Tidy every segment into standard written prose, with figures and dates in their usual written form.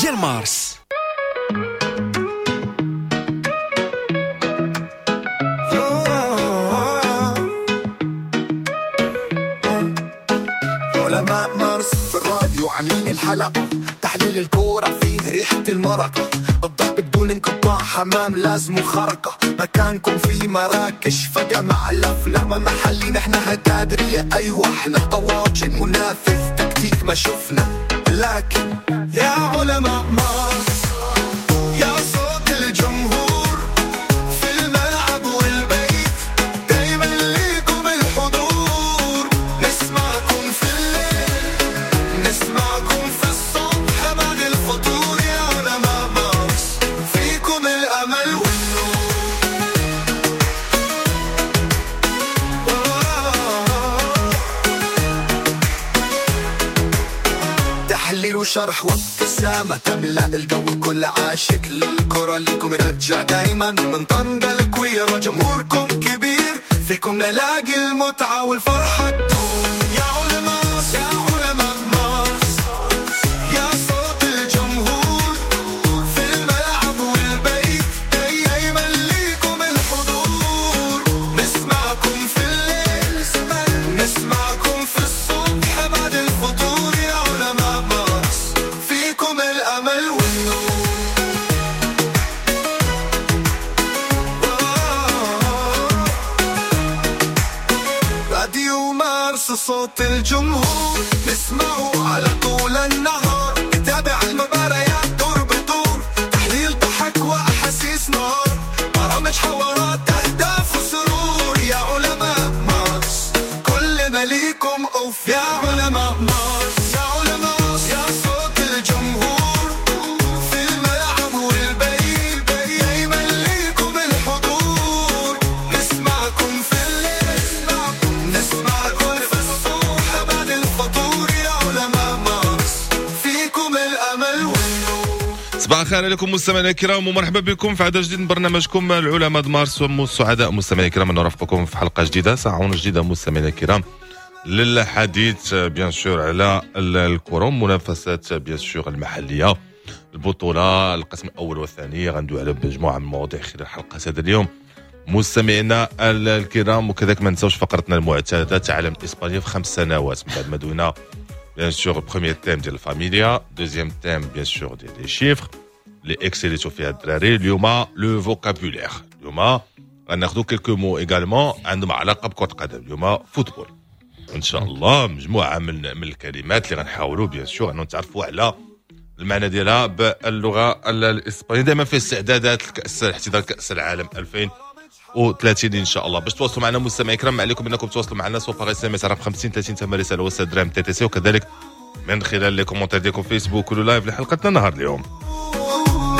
ديال مارس. علماء مارس في الراديو عاملين الحلقة، تحليل الكورة فيه ريحة المرقة، الضرب بدون انقطاع، حمام لازم خرقة، مكانكم في مراكش فجأة مع الأفلام محلي، نحن هتادرية أيوة احنا طواجن منافس تكتيك ما شفنا، لكن يا علماء مارس يا صوت الجمهور في الملعب والبيت، دايما ليكم الحضور، نسمعكم في الليل نسمعكم في الصبح بعد الفطور، يا علماء مارس فيكم الأمل والنور. تحليل وشرح وابتسامة تملأ الجو، كل عاشق للكرة لكم يرجع دايما، من طنجة لكويرة جمهوركم كبير، فيكم نلاقي المتعة والفرحة تدوم. يا علماء يا علماء مارس يا صوت الجمهور في الملعب والبيت، دايما ليكم الحضور، نسمعكم في الليل نسمعكم في الصبح بعد الفطور، يا علماء مارس فيكم الأمل والنور. راديو مارس صوت الجمهور، نسمعه على طول النهار، نتابع المباريات دور بدور، تحليل ضحك وأحاسيس نار، برامج حوارات أهداف وسرور، يا علماء مارس كلنا ليكم أوف، يا علماء مارس يا علماء يا صوت الجمهور في الملعب والبيت، دايما ليكم الحضور، نسمعكم في الليل نسمعكم في الصبح بعد الفطور، يا علماء مارس فيكم الأمل والنور. صباح الخير عليكم مستمعينا الكرام، ومرحبا بكم في عدد جديد من برنامجكم العلماء مارس. والسعداء مستمعينا الكرام ان نرافقكم في حلقة جديدة، ساعة جديدة مستمعينا الكرام للحديث bien sûr على الكره، منافسات bien sûr المحلية، البطولة، القسم الاول والثاني. غندوي على مجموعة من المواضيع خلال حلقة هذا اليوم مستمعينا الكرام، وكذلك ما نساوش فقرتنا المعتادة تعلم الاسبانية في 5 سنوات، من بعد ما دوينا bien sûr premier thème ديال ال familia، deuxième thème bien sûr ديال les chiffres اللي اكسيليتو فيها الدراري. اليوم le vocabulaire، اليوم غناخذوا quelques mots également عندهم علاقة بكره القدم، اليوم football ان شاء الله، مجموعة من الكلمات اللي غنحاولوا bien sûr انه نتعرفوا على المعنى ديالها باللغة الاسبانية. دائما في استعدادات الكاس، احتضان كاس العالم 2030 ان شاء الله. باش تواصلوا معنا مستمعي الكرام، ما عليكم انكم تواصلوا معنا soit par SMS على 50 30 8 رسالة وسط درهم TTC، وكذلك من خلال les commentaires ديالكم فيسبوك ولا live لحلقتنا نهار اليوم.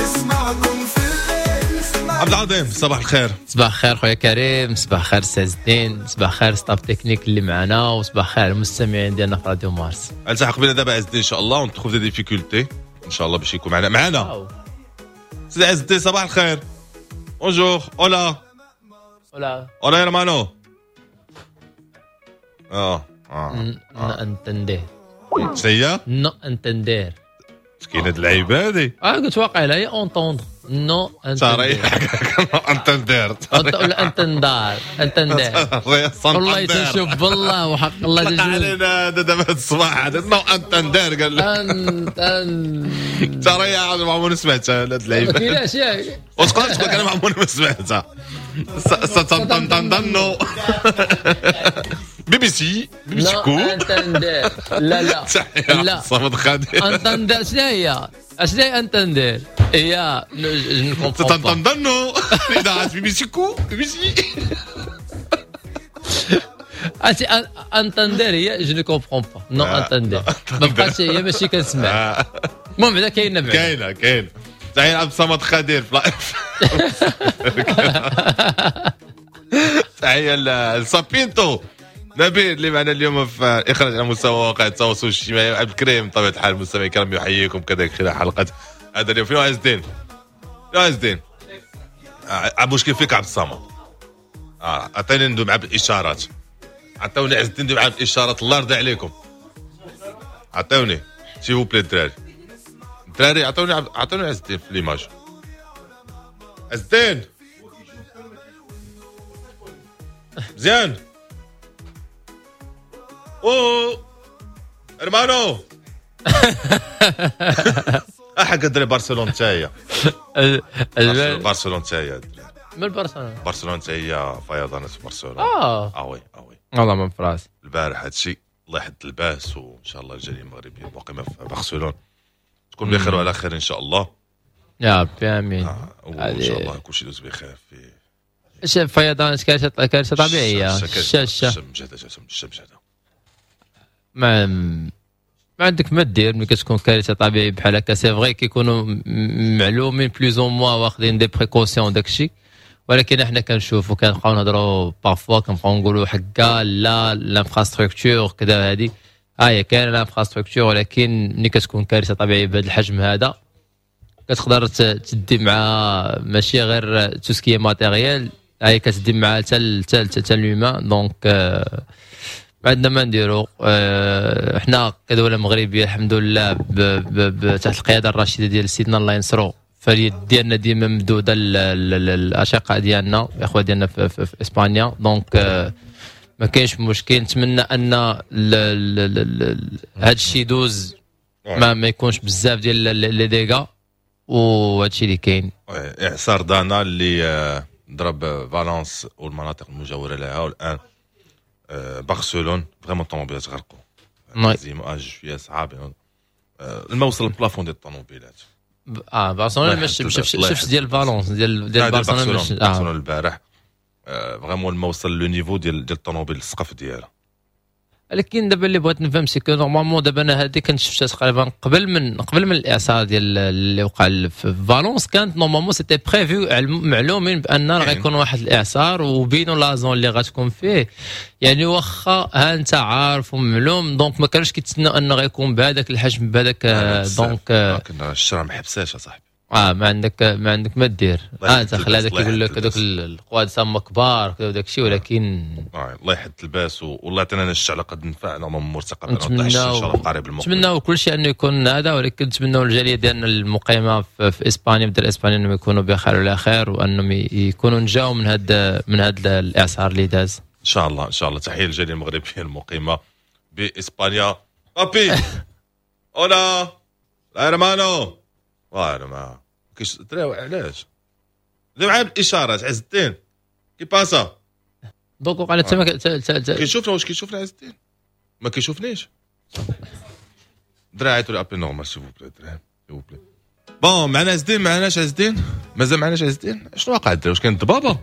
نسمعكم في الليل. عبد العظيم صباح الخير. صباح الخير خويا كريم، صباح الخير سي الدين، صباح الخير staff technique اللي معنا، وصباح الخير المستمعين ديالنا في راديو مارس. التحق بنا دابا عز الدين ان شاء الله، on trouve des difficultés ان شاء الله باش يكون معنا سيدي عز الدين. صباح الخير، bonjour، hola hola hola hermano. no entender. شنو؟ no entender. كاين هاد اللعيبة هادي؟ قلت واقيلا هي entendre، no entender entender ولا entendar entender. والله تشوف بالله وحق الله طلع علينا دابا هاد الصباح هذا no entender، قال لك ترى يا ما عمرني سمعتها هاد اللعيبة. ما كايناش ياك؟ وتقدر تقول انا ما عمرني ما سمعتها. ستنطنطنطنو بي بي سي بي بي سي no كو entender. لا لا لا صمد خادر. entender شنو هي؟ شنو هي entender؟ هي je comprends. تنطنطنو اذاعة بي بي سي كو بي بي سي. انت entender هي je ne comprends pas، no entender ما بقاتش هي، ماشي كنسمع. المهم بعدا كاينه، بعدا كاينه كاينه. تحية عبد الصمد خدير في live. تحية لسابينتو نبيل اللي معنا اليوم في اخراج على مستوى مواقع التواصل الاجتماعي. عبد الكريم بطبيعة الحال المستمعين الكرام يحييكم كذلك خلال حلقة هذا اليوم. فين عز الدين؟ يا عز الدين مشكل فيك عبد الصمد. عطيني ندوي معاه بالاشارات، عطوني عز الدين ندوي معاه بالاشارات، الله يرضي عليكم، عطوني s'il vous plaît الدراري. الدراري عطوني عز الدين في l'image. عز الدين مزيان. او hermano احد الدراري برشلونة حتى هي، برشلونة حتى هي. من برشلونة؟ برشلونة حتى هي فيضانات في برشلونة. oui oui والله ما فراسي البارح هادشي. الله يحد الباس، وان شاء الله الجالية المغربية المقيمه في برشلونة تكون بخير وعلى خير ان شاء الله. يا ربي امين. وان شاء الله كلشي يدوز بخير. في فيضانات كارثة طبيعية، الشاشة مجهده. ما عندك ما دير ملي كتكون كارثة طبيعية بحال هكا. c'est vrai كيكونوا معلومين plus ou moins واخدين des précautions داكشي، ولكن احنا كنشوفوا كنبقاو نهضروا parfois، كنبقاو نقولوا حكا لا l'infrastructure كذا هذه هي كاين l'infrastructure، ولكن ملي كتكون كارثة طبيعية بهذا الحجم هذا كتقدر تدي مع ماشي غير tout ce qui est matériel، هي كتدي مع حتى حتى l'humain. donc ما عندنا ما نديرو. حنا كدولة مغربية الحمد لله تحت القيادة الرشيدة ديال سيدنا الله ينصرو، فاليد ديالنا ديما ممدوده للاشقاء ديالنا الاخوة ديالنا في اسبانيا. donc ما كاينش مشكل. نتمنى ان هذا الشيء يدوز، ما يكونش بزاف ديال les dégâts، وهذا الشيء اللي كاين. اعصار دانا اللي ضرب فالونس والمناطق المجاورة لها، والان برشلونة vraiment الطوموبيلات غرقوا. les images شوية صعاب، الماء وصل لل plafond ديال الطوموبيلات. برشلونة شفت ديال فالونس ديال برشلونة برشلونة البارح vraiment الماء وصل le niveau ديال الطوموبيل السقف ديالها. ولكن دابا اللي بغيت نفهم c'est que normalement دابا انا هذه كنت شفتها تقريبا قبل من الاعصار ديال اللي وقع في فالونس، كانت normalement c'était prévu، معلومين بان راه غيكون واحد الاعصار وبينوا la zone اللي غتكون فيه، يعني واخا ها انت عارف ومعلوم، donc ما كانوش كيتسناو انه غيكون بهذاك الحجم بهذاك. donc لكن الشرع ما حبساش اصاحبي. ما عندك ما دير. انت خلي هذاك يقول لك هذوك القواد تما كبار كذا وداك الشيء، ولكن الله يحد الباس والله يعطينا الشعر على قد نفعنا مرتقب ان شاء الله قريب المقبل. نتمناو كل شيء انه يكون هذا، ولكن نتمناو الجالية ديالنا المقيمه في اسبانيا بدل اسبانيا انهم يكونوا بخير وعلى خير، وانهم يكونوا نجاو من هذا الاعصار اللي داز ان شاء الله. ان شاء الله تحية للجاليه المغربية المقيمه باسبانيا. papi hola لا hermano وانا ما كيش درا علاش دير معايا بالاشارات. عز الدين qué pasa donc وقع تما كيشوفنا؟ واش كيشوفنا عز الدين؟ ما كيشوفنيش. درا عيطوا لي appel normal s'il vous plaît درا s'il vous plaît. bon معنا عز الدين؟ معناش عز الدين؟ مازال معناش عز الدين؟ شنو واقع الدرا؟ واش كاين الضبابه؟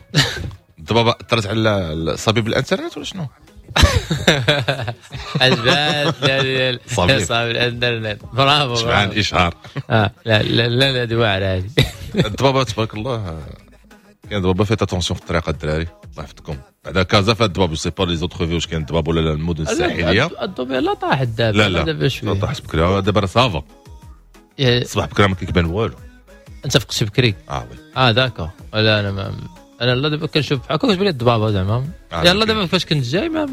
الضبابه اثرت على صبيب الانترنت ولا شنو؟ عجبات صافي الانترنت. برافو شبعان الاشهار. لا لا لا لا دواء على هذه الضبابه تبارك الله. كاين ضبابه faites attention في الطريق الدراري الله يحفظكم. بعدا كازا فيها الضباب، sais pas les autres villes واش كاين الضباب ولا لا. المدن الساحلية الضباب لا طاحت دابا. لا لا شوية طاحت بكري دابا راه ça va. الصباح بكري ما كيبان والو. انت فقتي بكري؟ oui d'accord. لا انا ما انا لا دابا كنشوف بحال هكا كتبان لي الضبابه زعما. يلا دابا فاش كنت جاي ما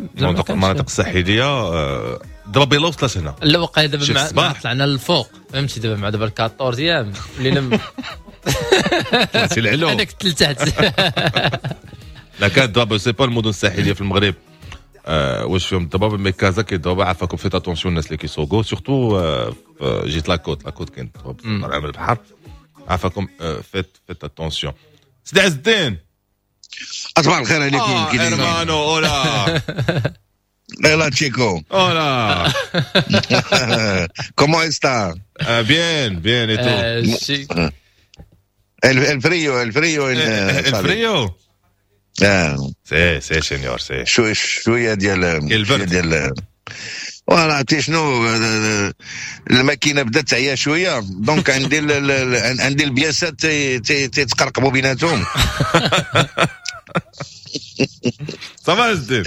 المناطق الساحلية الضباب يلا وصلت هنا. لا وقع دابا مع طلعنا للفوق فهمتي. دابا مع دابا 14 ايام ولينا طلعتي العلو. انا كنت لتحت. لا كان الضباب sais pas المدن الساحلية في المغرب واش فيهم الضباب، mais كازا كاين الضباب. عافاكم faites attention الناس اللي كيسوقوا surtout جيت la côte. la côte كاين الضباب طالع من البحر. عافاكم faites attention. سيدي عز الدين صباح الخير عليكم. كي hermano hola hola chico hola cómo está bien bien y tú el frío el frío el frío sí sí señor sí. شوية ديال ديال voilà عرفتي شنو الماكينة بدات تعيا شوية، donc عندي عندي البياسات تيتقرقبوا بيناتهم. ça va عز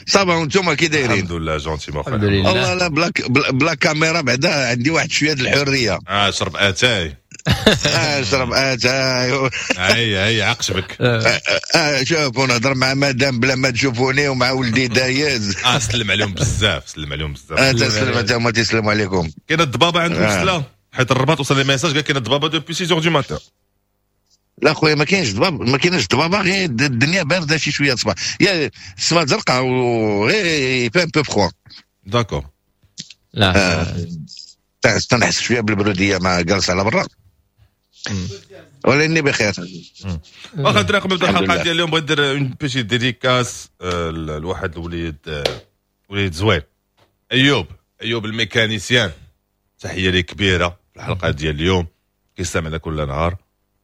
ça va وانتم كي دايرين؟ الحمد لله gentiment. الحمد لله. والله لا بلا كاميرا بعدا عندي واحد شوية د الحرية. شرب اتاي. شرب اتاي. اي عقشبك. شوف ونهضر مع مدام بلا ما تشوفوني ومع ولدي دايز. سلم عليهم بزاف، سلم عليهم بزاف. تسلم انت هما تسلموا عليكم. كاين الضبابه عندكم سلا؟ حيت الرباط وصل لي message قال كاين الضبابه depuis 6 du matin. لا خويا، ما كاينش ضباب، ما كاينش ضبابه، غير الدنيا باردة شي شوية الصباح، يا السما زرقاء وغير un peu froid. d'accord. لا. تنحس شوية بالبروديه مع جالس على برا، ولاني بخير. واخا الدراري، قبل الحمد الحلقة لله. ديال اليوم بغيت ندير une petite dédicace لواحد الوليد، وليد زوين، ايوب، ايوب ال mécanicien. تحية لك كبيرة في الحلقة ديال اليوم، كيستمعنا كل نهار،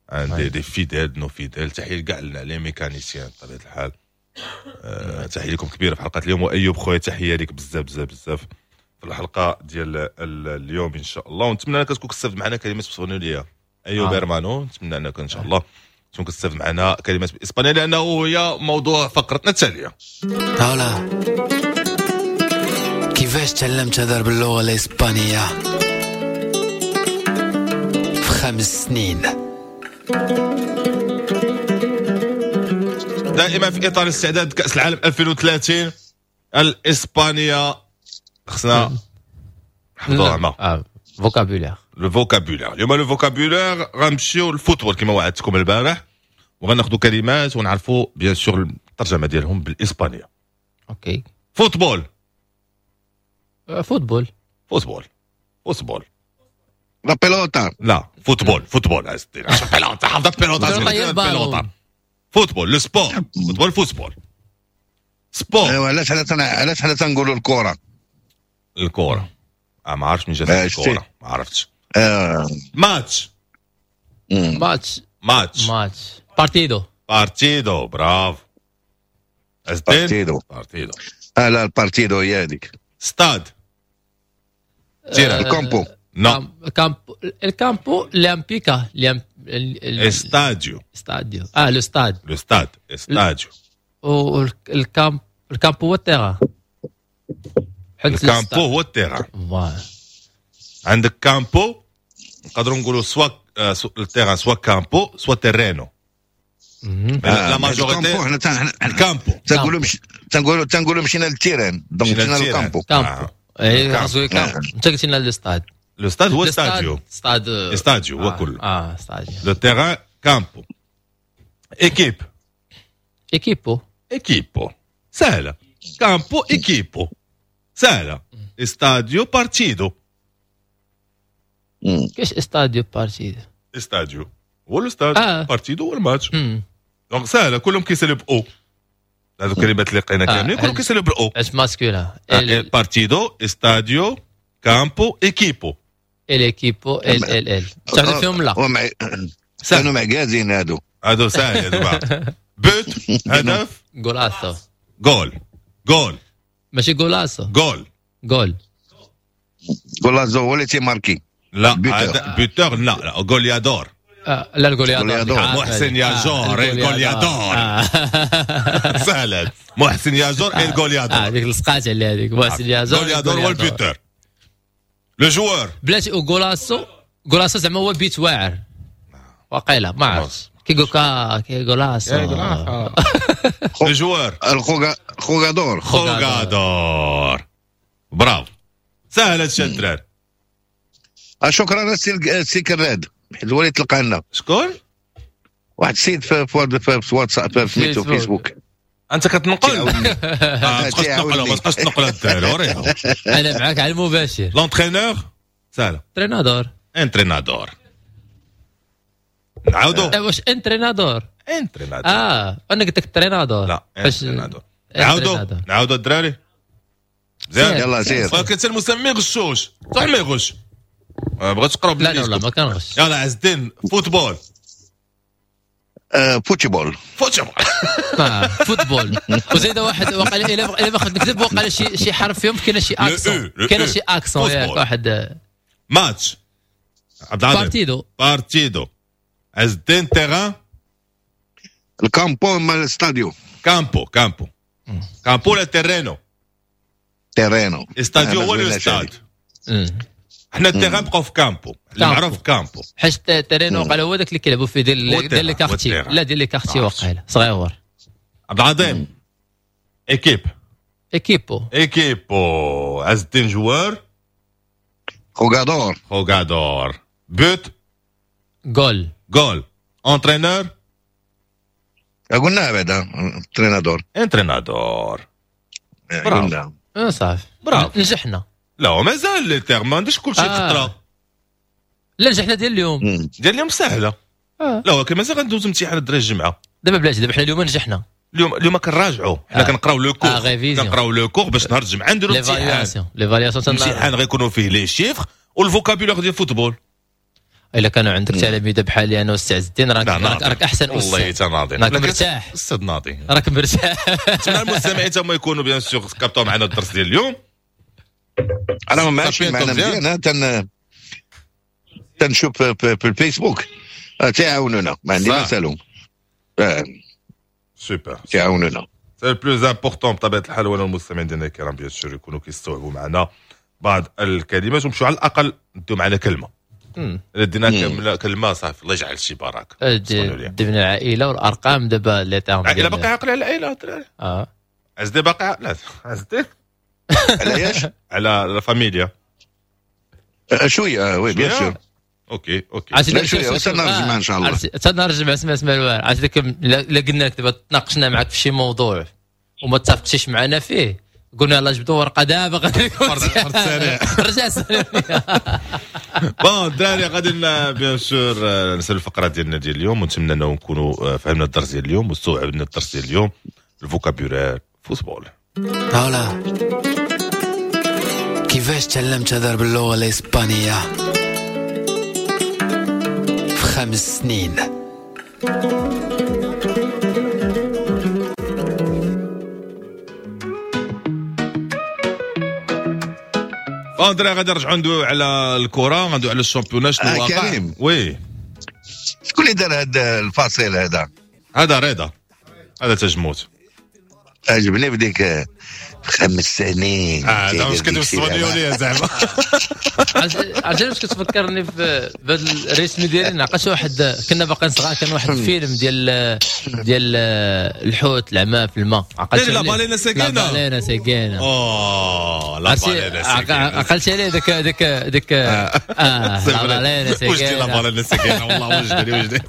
عندي des fidèles، nos fidèles. تحية لكاع les mécaniciens بطبيعة الحال. تحية لكم كبيرة في حلقة اليوم، وايوب خويا تحية لك بزاف بزاف بزاف في الحلقة ديال اليوم ان شاء الله. ونتمنى انك تكون كتستافد معنا كلمات بالاسبانيه ايوب. Hermano، نتمنى انك ان شاء الله تكون كتستافد معنا كلمات بالاسبانيه، لانه هي موضوع فقرتنا التاليه. Hola، كيفاش تعلمت تهضر باللغة الإسبانية في 5 سنين؟ دائما في اطار استعداد كاس العالم 2030، الاسبانية خصنا نحفظوها ما Vocabulaire. Le vocabulaire. اليوم le vocabulaire غنمشيو لل football كما وعدتكم البارح، وغناخذوا كلمات ونعرفوا bien sûr الترجمة ديالهم بالاسبانيه. OK. Football. Fútbol. Football، football. La pelota. لا، football، football عز الدين، عشان pelota، حافظ pelota. Pelota هي ال ballon. Pelota، football، le sport، football، football، sport. ايوا، علاش حنا تنقولوا الكره؟ الكره، ما عرفتش من جات. شتي. الكره ما عرفتش. ماتش. Match. Match. Match، partido. Partido، bravo عز الدين. Partido. Partido. لا، ال partido هي هذيك. Stade، terrain. ال campo. Non. Campo، ال campo الامبيكا Estadio. Estadio، le stade. Le stade، estadio. وال camp، ال campo هو ال terrain حيت ال campo هو ال terrain. Voilà. عندك campo، نقدروا نقولوا soit ال terrain، soit campo، soit terreno. La majorité ال campo حنا ال campo. تنقولوا مشينا لل terrain، donc مشينا لل campo. Campo، اي خاصو campo. انت قلت لنا le stade. Le stade هو estadio. Stade. Estadio هو كله. Stadio. Le terrain، campo. Équipe. Equipo. Equipo سهله، campo، equipo سهله، estadio، partido. كاش estadio، partido؟ Estadio هو ال stade. Partido هو الماتش. Donc سهله، كلهم كيسالوا ب o. هذو الكلمات اللي لقينا كاملين كلهم كيسالوا بال o. اش masculin؟ Partido، estadio، campo، equipo. El equipo، el el el تعرف فيهم لا. كانوا معكازين هادو. هادو ساهل هادو. But، هدف. Golazo. Goal، goal. ماشي golazo؟ Goal. Goal. Golazo هو اللي تيماركي. لا، buteur، لا لا، goleador. لا، ال goleador. محسن ياجور ال goleador، سهلة، محسن ياجور ال goleador. هذيك لصقات على هذيك محسن ياجور. Goleador هو ال buteur، le joueur. بلاتي، golazo، golazo زعما هو بيت واعر وقيله، ما عرفتش، كيقول كي golazo. Le joueur. ال jugador. Jugador، bravo، سهلة هادشي الدراري. شكرا السي كراد، حيت هو اللي تلقى لنا. شكون؟ واحد السيد في واتساب، في سميتو فيسبوك. انت كتنقل، ما تبقاش تنقل، ما تبقاش تنقل الدراري. انا معاك على المباشر. L'entraîneur، سهله. Entrenador. Entrenador، نعاودو. واش entrenador؟ Entrenador. انا قلت لك entrenador. لا، entrenador. نعاودو، نعاودو الدراري، مزيان. يلا سير. ولكن حتى المسمي غشوش، صح ما يغش، ما بغيتش تقرا. لا لا لا، ما كنغش. يلا عز الدين، football. Fútbol. Fútbol. Football، وزيد واحد وقال الا ما خفت نكذب، وقال شي حرف فيهم كاين شي accent، كاين شي accent ياك واحد. ماتش، عبد العظيم. Partido. Partido. عز الدين، terrain. ال campo ما ال estadio. Campo، campo، campo ولا terreno؟ Terreno. Estadio هو ال stade. حنا ال terrain بقاو في campo، اللي معروف campo. حيت terreno وقال هو داك اللي كيلعبوا فيه ديال les quartiers، لا، ديال les quartiers وقيلا صغيور. عبد العظيم، équipe. Equipo. Equipo. عز الدين، joueur. jugador. jugador. but. goal. goal. entraîneur. قلناها بعدا entrenador. entrenador. قلنا صافي برافو. نجحنا. لا مازال les termes، ما عنديش كلشي خطره. لا نجحنا ديال اليوم. ديال اليوم سهلة. لا ولكن مازال غندوز امتحان الدراري الجمعة. دابا بلاتي، دابا حنا اليوم نجحنا. اليوم كنراجعوا، حنا كنقراو le cours، كنقراو le cours باش نهار الجمعة نديرو الامتحان. l'évaluation الامتحان غيكونوا فيه les chiffres وال vocabulaire ديال ال football. الا كانوا عندك تلاميذ بحالي انا واستاذ الدين راك احسن استاذ. والله حتى ناضي، راك مرتاح استاذ ناضي، راك مرتاح. نتمنى المستمعين تما يكونوا bien sûr كابتو معنا الدرس ديال اليوم. انا ماشي معنا مزيان، تنشوف في الفيسبوك تيعاونونا، ما عندي ما نسالهم. سوبر تيعاونونا. c'est plus important بطبيعة الحال هو المستمعين ديالنا الكرام bien sûr يكونوا كيستوعبوا معنا بعض الكلمات ومشوا على الاقل نديو معنا كلمة. دينا كلمة صافي، الله يجعل شي بركة. دينا العائلة والارقام دابا les termes. العائلة باقي عاقلة على العائلة الدراري. عزدي باقي لا عزدي علاش على la familia شوية. oui bien sûr. OK OK شوية وصلنا الجمعة ان شاء الله. حتى نهار الجمعة. اسمع الوار، عرفتي ديك الا قلنا لك دابا تناقشنا معك في شي موضوع وما اتفقتيش معنا فيه، قلنا يلاه جبدوا ورقة دابا غادي يكون سريع رجع سريع. bon الدراري غادي bien sûr نسال الفقرة ديالنا ديال اليوم، ونتمنى انه نكونوا فهمنا الدرس ديال اليوم واستوعبنا الدرس ديال اليوم، ال vocabulaire football. Hola، كيفاش تعلمت تهضر باللغة الاسبانية في 5 سنين؟ اندري غادي نرجعوا ندويو على الكره، غندويو على ال championnat شنو واقع. oui شكون اللي دار هذا الفاصل هذا؟ هذا رضا، هذا تجموت. عجبني بديك 5 سنين. زعما واش كتبت الصبنيوليه زعما. عرفتي واش كتفكرني في بهذا ال rythme ديالي؟ نعقلش واحد كنا باقيين صغار، كان واحد الفيلم ديال الحوت العمى في الماء. عقلت la baleine سكينة. la baleine سكينة. la baleine سكينة. عقلت عليه داك داك داك la baleine سكينة. وجدي la baleine سكينة والله، وجدي وجدي.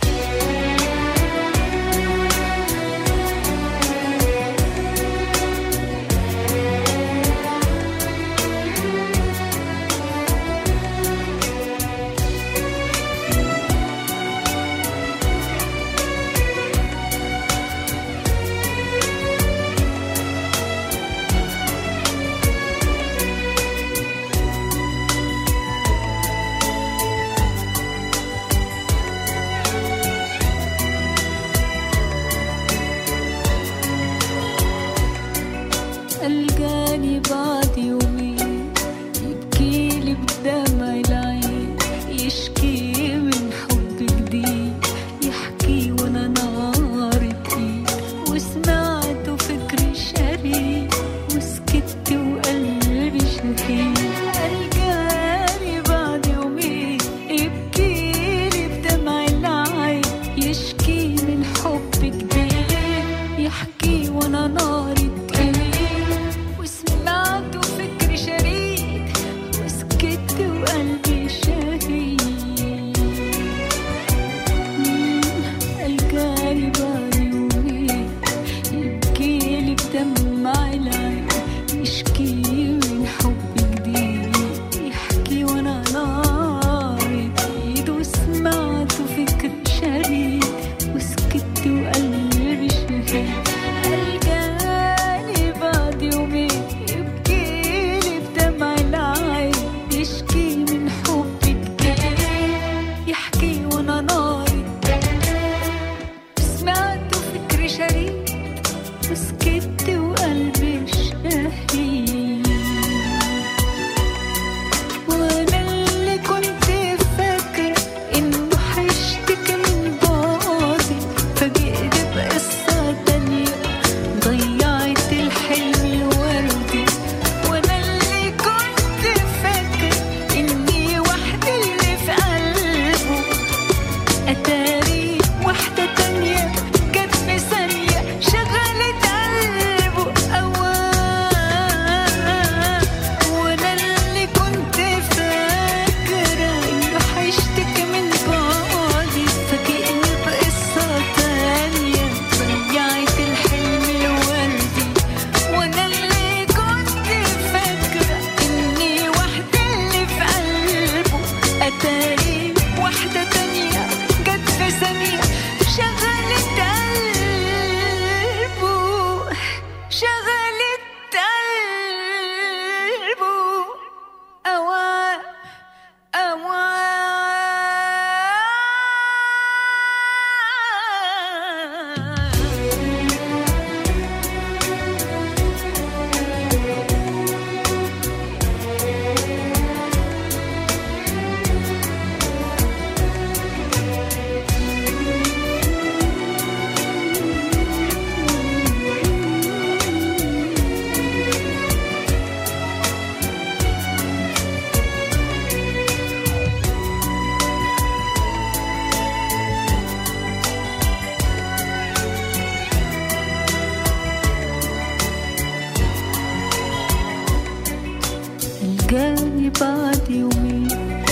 بعد يومين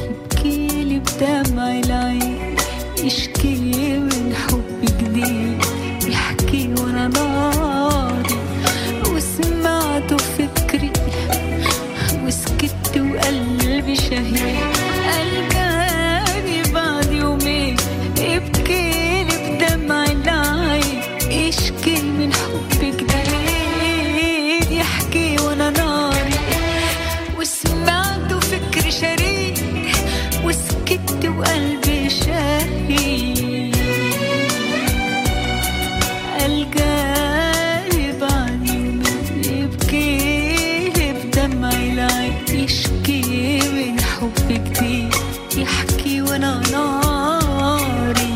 يبكيلي بدمع العين، يشكي من حب جديد، يحكي وانا ناري. وسمعته فكري وسكت وقلبي شهيد. ألقاني بعد يومين يبكيلي بدمع العين، يشكي من حب جديد، يحكي وانا ناري. وسمعته فكري شريد وسكت وقلبي شهيد. ألقاني بعد يومين يبكي بدمع العين، يشكي من حب جديد، يحكي وانا ناري.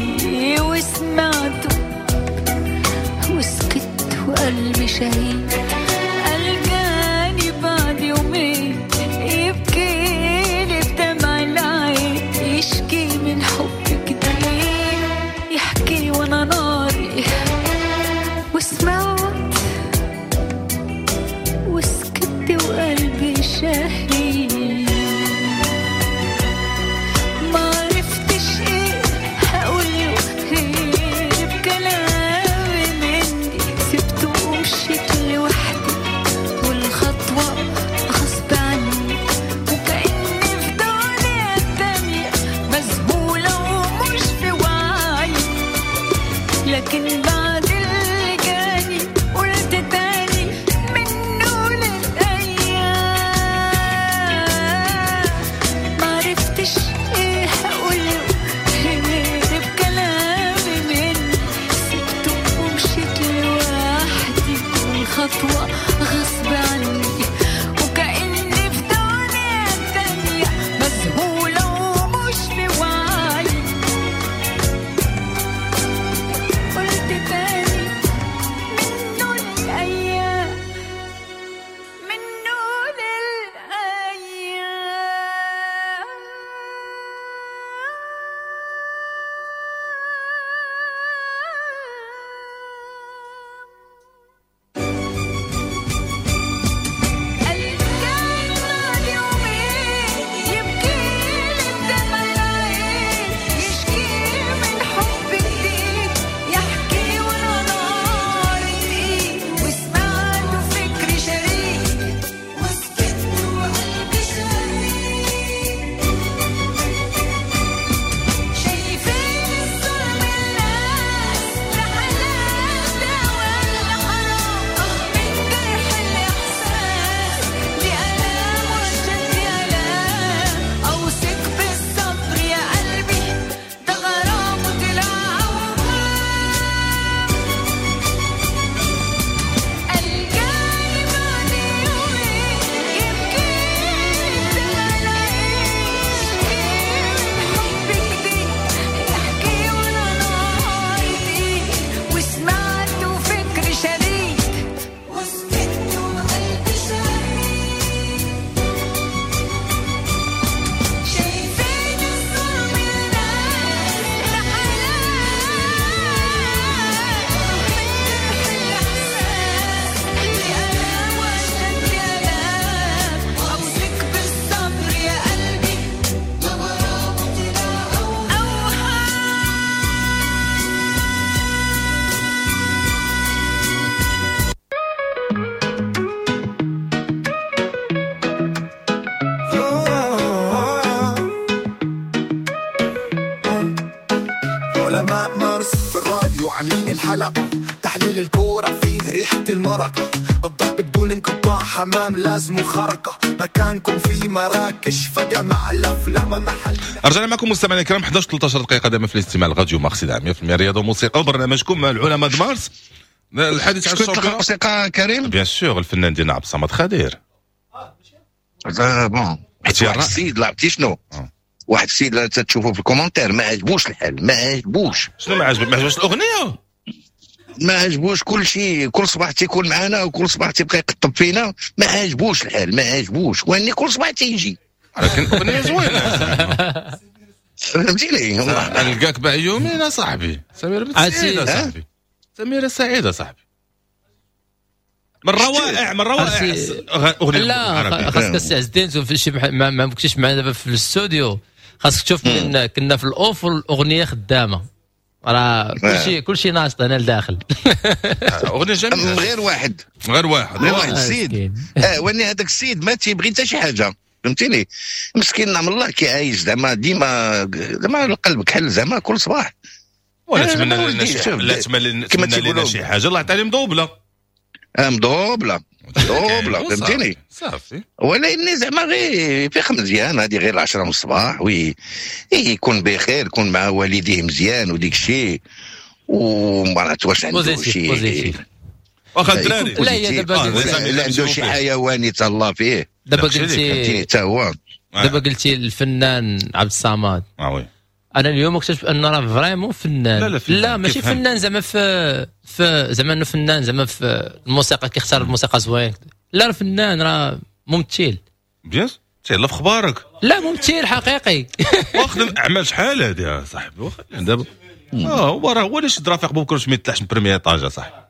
وسمعته وسكت وقلبي شهيد. ألقاني بعد يومين يبكيلي بدمع العين، يشكي من حب جديد، يحكي وانا ناري. وسمعت وسكت وقلبي شهيد. ما عرفتش ايه هقوله غير بكلامي مني، سبته ومشيت لوحدي والخطوة غصب عني، وكأني في دنيا تانية مذهولة ومش في وعي. لكن بعد اللي جاني قلت تاني منه للأيام. معرفتش ايه هقوله غير بكلامي مني، سبته ومشيت لوحدي والخطوة غصب عني، وكأني في دنيا تانية مذهولة ومش في وعي. قلت تاني منه للأيام، منه للأيام. ألقاني بعد يومين يبكيلي بدمع العين، يشكي من حب جديد، يحكي وانا نار تقيل. وسمعته فكري شريد وسكت وقلبي شهيد. شايفين الظلم الناس ده حلال ده ولا حرام، من جرح الإحساس دي آلام وأشد آلام. أوثق بالصبر يا قلبي ده غرام وطلع أوهام. ألقاني بعد يومين يبكيلي بدمع العين، يشكي من حب جديد، يحكي وانا نار تقيل. وسمعته فكر شريد وسكت وقلبي شهيد. شايفين الظلم الناس ده حلال، من جرح الإحساس دي آلام وأشد آلام. أوثق بالصبر يا قلبي ده غرام وطلع أوهام. علماء مارس في الراديو عاملين الحلقة، تحليل الكورة فيه ريحة المرق، الضرب بدون انقطاع، حمام لازم خرقة، مكانكم في مراكش فجمع الأفلام محل. رجعنا معكم مستمعينا الكرام 11 13 دقيقة دائما في الاستماع لراديو مارس 100% رياضة وموسيقى وبرنامجكم العلماء د مارس. الحديث عن شكون تلقى ال championnat الموسيقى كريم؟ bien sûr الفنان ديالنا عبد الصمد خدير. bon حيت واحد السيد لعبتي شنو؟ واحد السيد لا تشوفه في ال commentaire ما عجبوش الحال، ما عجبوش. شنو ما عجبك؟ ما عجبوش الاغنية؟ ما عجبوش كل شيء، كل صباح تيكون معنا وكل صباح تيبقى يقطب فينا، ما عجبوش الحال، ما عجبوش، واني كل صباح تيجي. ولكن الاغنية زوينة. فهمتيني؟ نلقاك بعد يومين اصاحبي. سميرة بنت سعيدة صاحبي، سميرة سعيدة صاحبي. من روائع من روائع اغنية. لا خاصك السي عز الدين في شي ما كنتيش معنا دابا في الاستوديو، خاصك تشوف من كنا في ال off والاغنية خدامه، راه كلشي ناشط هنا لداخل. اغنية جميلة. غير واحد غير واحد غير واحد السيد واني هذاك السيد ما تيبغي حتى شي حاجة، فهمتيني؟ مسكين نعم الله كيعايش زعما ديما زعما القلب كحل زعما كل صباح. ولا نتمنى لنا شي لا نتمنى لنا شي حاجة، الله يعطينا مضوبله مضوبله مضوبله، فهمتيني؟ صافي. ولكن زعما غير فيق مزيان، هذه غير 10 من الصباح وي يكون بخير، يكون مع والديه مزيان وديك الشيء، وما عرفت واش عنده شي واخا الدراري. لا هي دابا لا عنده شي حيوان يتهلا فيه. دابا قلتي حتى هو دابا قلتي الفنان عبد الصمد. oui انا اليوم اكتشفت ان راه vraiment فنان. لا, لا, لا ماشي فنان زعما في زعما انه فنان زعما في الموسيقى كيختار الموسيقى زوين، لا راه فنان، راه ممثل. bien تهلا في اخبارك. لا ممثل حقيقي. واخدم اعمال شحال هادي يا صاحبي دابا. هو راه هو اللي شد رفيق بوبكر باش ما يطلعش من premier étage صاحبي.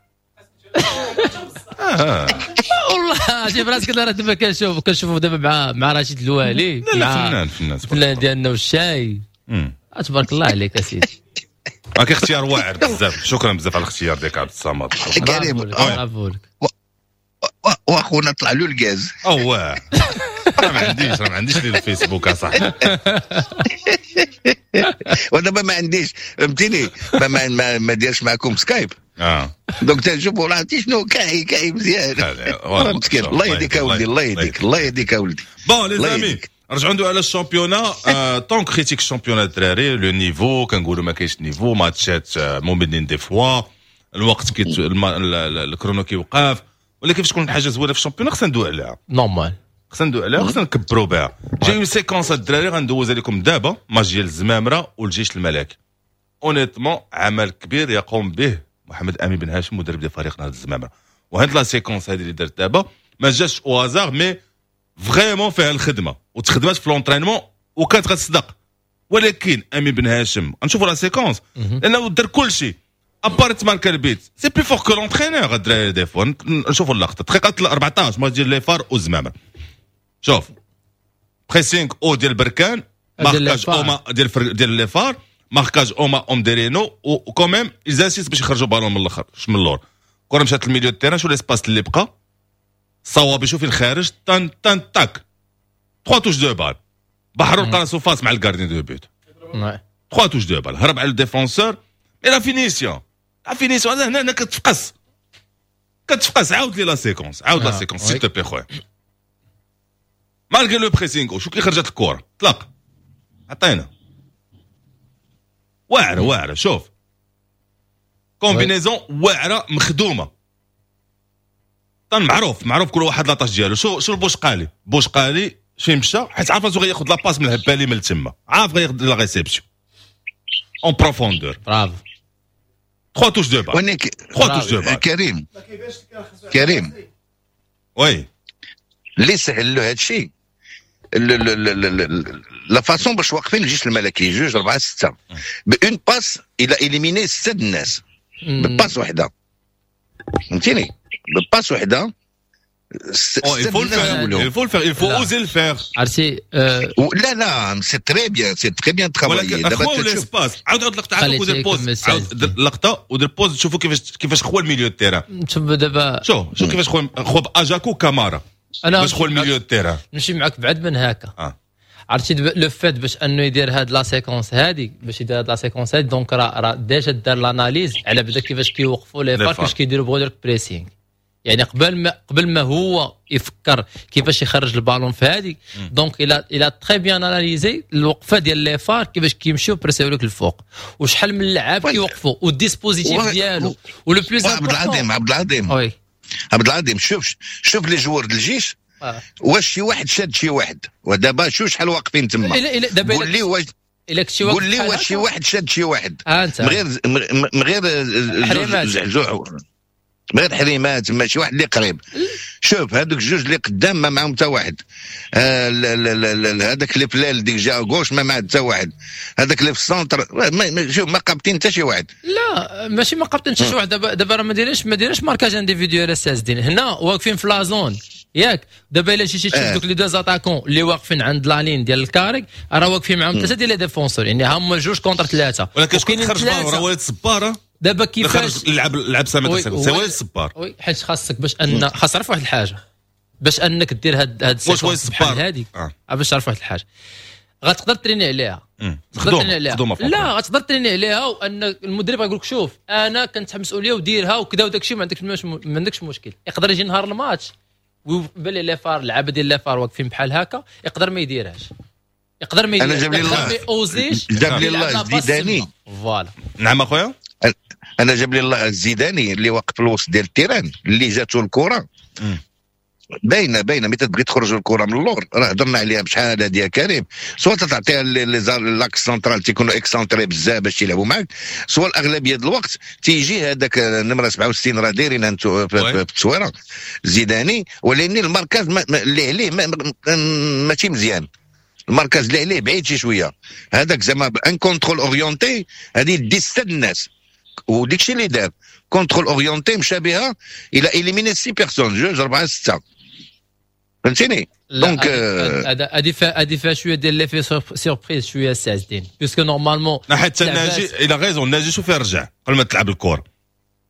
والله شي براسك راه دابا كنشوفوا دابا مع رشيد الوالي. لا لا فنان فنان ديالنا والشاي. تبارك الله عليك اسيدي. راك اختيار واعر بزاف، شكرا بزاف على الاختيار ديالك عبد الصمد. كريم برافو لك. واخونا طلع له الغاز. اوه راه ما عنديش لي الفيسبوك اصاحبي. ودابا ما عنديش، فهمتيني؟ ما ديرش معكم سكايب. donc تنشوفوا راه عرفتي شنو كاعي مزيان. مسكين الله يهديك اولدي، الله يهديك، الله يهديك اولدي. bon les amis رجعوا ندوي على ال championnat. tant critique ال championnat الدراري le niveau كنقولوا ما كاينش niveau، ماتشات مملين des fois، الوقت كي ال chrono كيوقف، ولكن فاش تكون حاجة زوينة في ال championnat خصنا ندوي عليها. normal خصنا ندوي عليها، خصنا نكبروا بها. j'ai une séquence الدراري غندوزها لكم دابا، ماتش ديال الزمامره والجيش الملكي. honnêtement عمل كبير يقوم به محمد امين بن هاشم مدرب ديال فريق نهضة الزمامره، وهاد la séquence هذه اللي درت دابا ما جاش au hasard، mais vraiment فيها الخدمة وتخدمات في l'entraînement وكانت غتصدق. ولكن امين بن هاشم نشوفوا la séquence لانه دار كل شيء à part تماركا البيت، c'est plus fort que l'entraîneur الدراري des fois. نشوفوا اللقطة دقيقة 14 ماتش ديال les FAR والزمامره. شوف pressing haut ديال بركان، marquage homme ديال les FAR، marquage homme à homme ديرينو، و quand même ils insistent باش يخرجوا بالون من الاخر من اللور. كره مشات لل milieu terrain، شو l'espace اللي بقى صوابي، شوفي الخارج تان تان تاك 3 touches de balle. بحروا لقى راسو face مع ال gardien de but، 3 touches de balle، هرب على ال défenseur. mais la finition la finition هنا هنا كتفقس كتفقس. عاود لي la séquence، عاود la séquence s'il te plaît خويا. malgré le pressing شو كي خرجت الكره طلق عطينا واعرة واعرة. شوف combinaison واعرة مخدومة طن معروف معروف كل واحد la tâche ديالو. شو البوشقالي بوشقالي فين مشى، حيت عارف راسو غياخذ la passe من الهبالي من تما، عارف غياخذ la réception en profondeur. برافو 3 touches de balle، 3 touches de balle. كريم كريم oui اللي سهل له هادشي la façon باش واقفين الجيش الملكي 2 4 6 ب une passe il a éliminé 6 الناس ب passe وحده، فهمتيني؟ ب passe وحده. Il faut le faire, il faut le faire, il faut oser le faire. عرفتي؟ لا لا c'est très bien، c'est très bien travaillé. دابا خواو l'espace، عاود عاود لقطة، عاود ودير pause، عاود لقطة ودير pause، شوفوا كيفاش خوا ال milieu terrain. شوف دابا شوف كيفاش خوا باجاكو كامارا باش خوا ال milieu terrain. نمشي معاك بعد من هكا. عرفتي le fait باش انه يدير هاد la séquence هادي، باش يدير هاد la séquence هادي، donc راه déjà دار l'analyse على بدا كيفاش كيوقفوا les FAR، كيفاش كيديروا بغوا pressing. يعني قبل ما هو يفكر كيفاش يخرج البالون في هذه، donc il a très bien analysé الوقفة ديال les FAR كيفاش كيمشيو بريسيو لك الفوق، وشحال من اللعاب كيوقفوا وال dispositif ديالو و le plus. عبد العظيم عبد العظيم oui عبد العظيم، شوف شوف les joueurs ديال الجيش واش شي واحد شاد شي واحد، ودابا شوف شحال واقفين تما. قول لي واش قول لي واش شي واحد شاد شي واحد من غير زعزوع، من غير حريمات، ماشي واحد اللي قريب. شوف هذوك الجوج اللي قدام ما معاهم حتى واحد، هذاك اللي في l'aile ديك جا gauche ما معاه حتى واحد، هذاك اللي في ال centre شوف ما قابطين حتى شي واحد. لا لا ماشي ما قابطين شي واحد. دابا راه ما دايرينش marquage individuel الساسدين، هنا واقفين في la zone ياك. دابا الا شي تشوف دوك les deux attaquants اللي واقفين عند la ligne ديال ال carré راه واقفين معاهم ثلاثة ديال les défenseurs، يعني هما جوج contre ثلاثة. ولكن شكون خرج راه وليد الصبار. دابا كيفاش لعب سامي c'est وليد الصبار. oui حيت خاصك باش ان خاص تعرف واحد الحاجة باش انك دير هاد ال séquence بحال هادي باش تعرف واحد الحاجة غتقدر تريني عليها، تقدر تريني عليها، لا غتقدر تريني عليها، وان المدرب غيقول لك شوف انا كنتحمل مسؤولية وديرها وكذا وداك الشيء، ما عندكش مشكل. يقدر يجي نهار الماتش ويبان لي les FAR اللعابه ديال les FAR واقفين بحال هكا، يقدر ما يديرهاش، يقدر ما يديرهاش. انا جاب لي الله جاب لي الله الزيداني voilà. نعم اخويا، انا جاب لي الله الزيداني اللي واقف في الوسط ديال ال terrain اللي جاتو الكره باينة باينة، ملي تبغي تخرج الكره من اللور راه هضرنا عليها بشحال هادي يا كريم، soit تعطيها l'axe central تيكونوا excentrés بزاف باش يلعبوا معاك، soit الاغلبية ديال الوقت تيجي هذاك النمرة 67 راه دايرين انتو في التصويره زيداني، ولكن ال marquage اللي عليه ماشي مزيان، ال marquage اللي عليه بعيد شي شوية، هذاك زعما un contrôle orienté هذه دي ستة الناس، وديك الشيء اللي دار contrôle orienté مشى بها الى éliminer 6 personnes، جوج 4 6، فهمتيني؟ donc هادي فيها شوية ديال l'effet surprise شوية سي عز الدين، puisque normalement حتى الناجي il a raison، الناجي شوف فين رجع قبل ما تلعب الكره،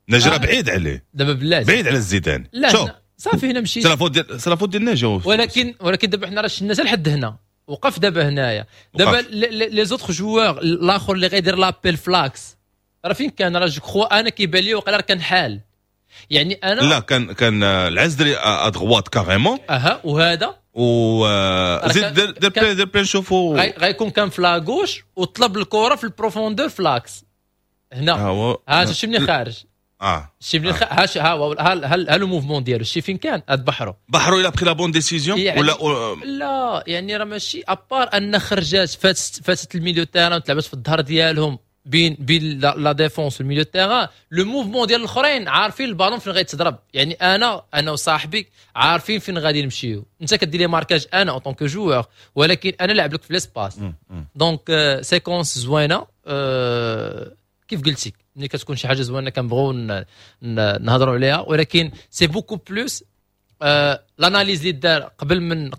الناجي راه بعيد عليه دابا بلاتي، بعيد على الزيدان. لا صافي هنا مشيت، c'est la faute ديال الناجي، ولكن دابا حنا راه شفنا حتى لحد هنا وقف دابا هنايا. دابا les autres joueurs الاخر اللي غيدير l'appel ف l'axe راه فين كان؟ راه je crois انا كيبان لي وقيلا كان حال، يعني انا لا كان العزري à droite carrément اها، وهذا و زيد دير بلان نشوفوا غيكون كان في la gauche وطلب الكره في ال profondeur ف l'axe هنا. ها شتي منين خارج، شتي منين ها ها le mouvement ديالو، شتي فين كان؟ هاد بحرو il a pris la bonne décision ولا لا؟ يعني راه ماشي à part ان خرجات فاتت ال milieu terrain وتلعبت في الظهر ديالهم بين la défense وال milieu terrain، le mouvement ديال الاخرين عارفين البالون فين غيتضرب، يعني انا وصاحبي عارفين فين غادي نمشيو. انت كدير لي marquage انا en tant que joueur، ولكن انا لعب لك في l'espace. donc séquence زوينة. كيف قلتي ملي كتكون شي حاجة زوينة كنبغيو نهضروا عليها، ولكن c'est beaucoup plus l'analyse اللي دار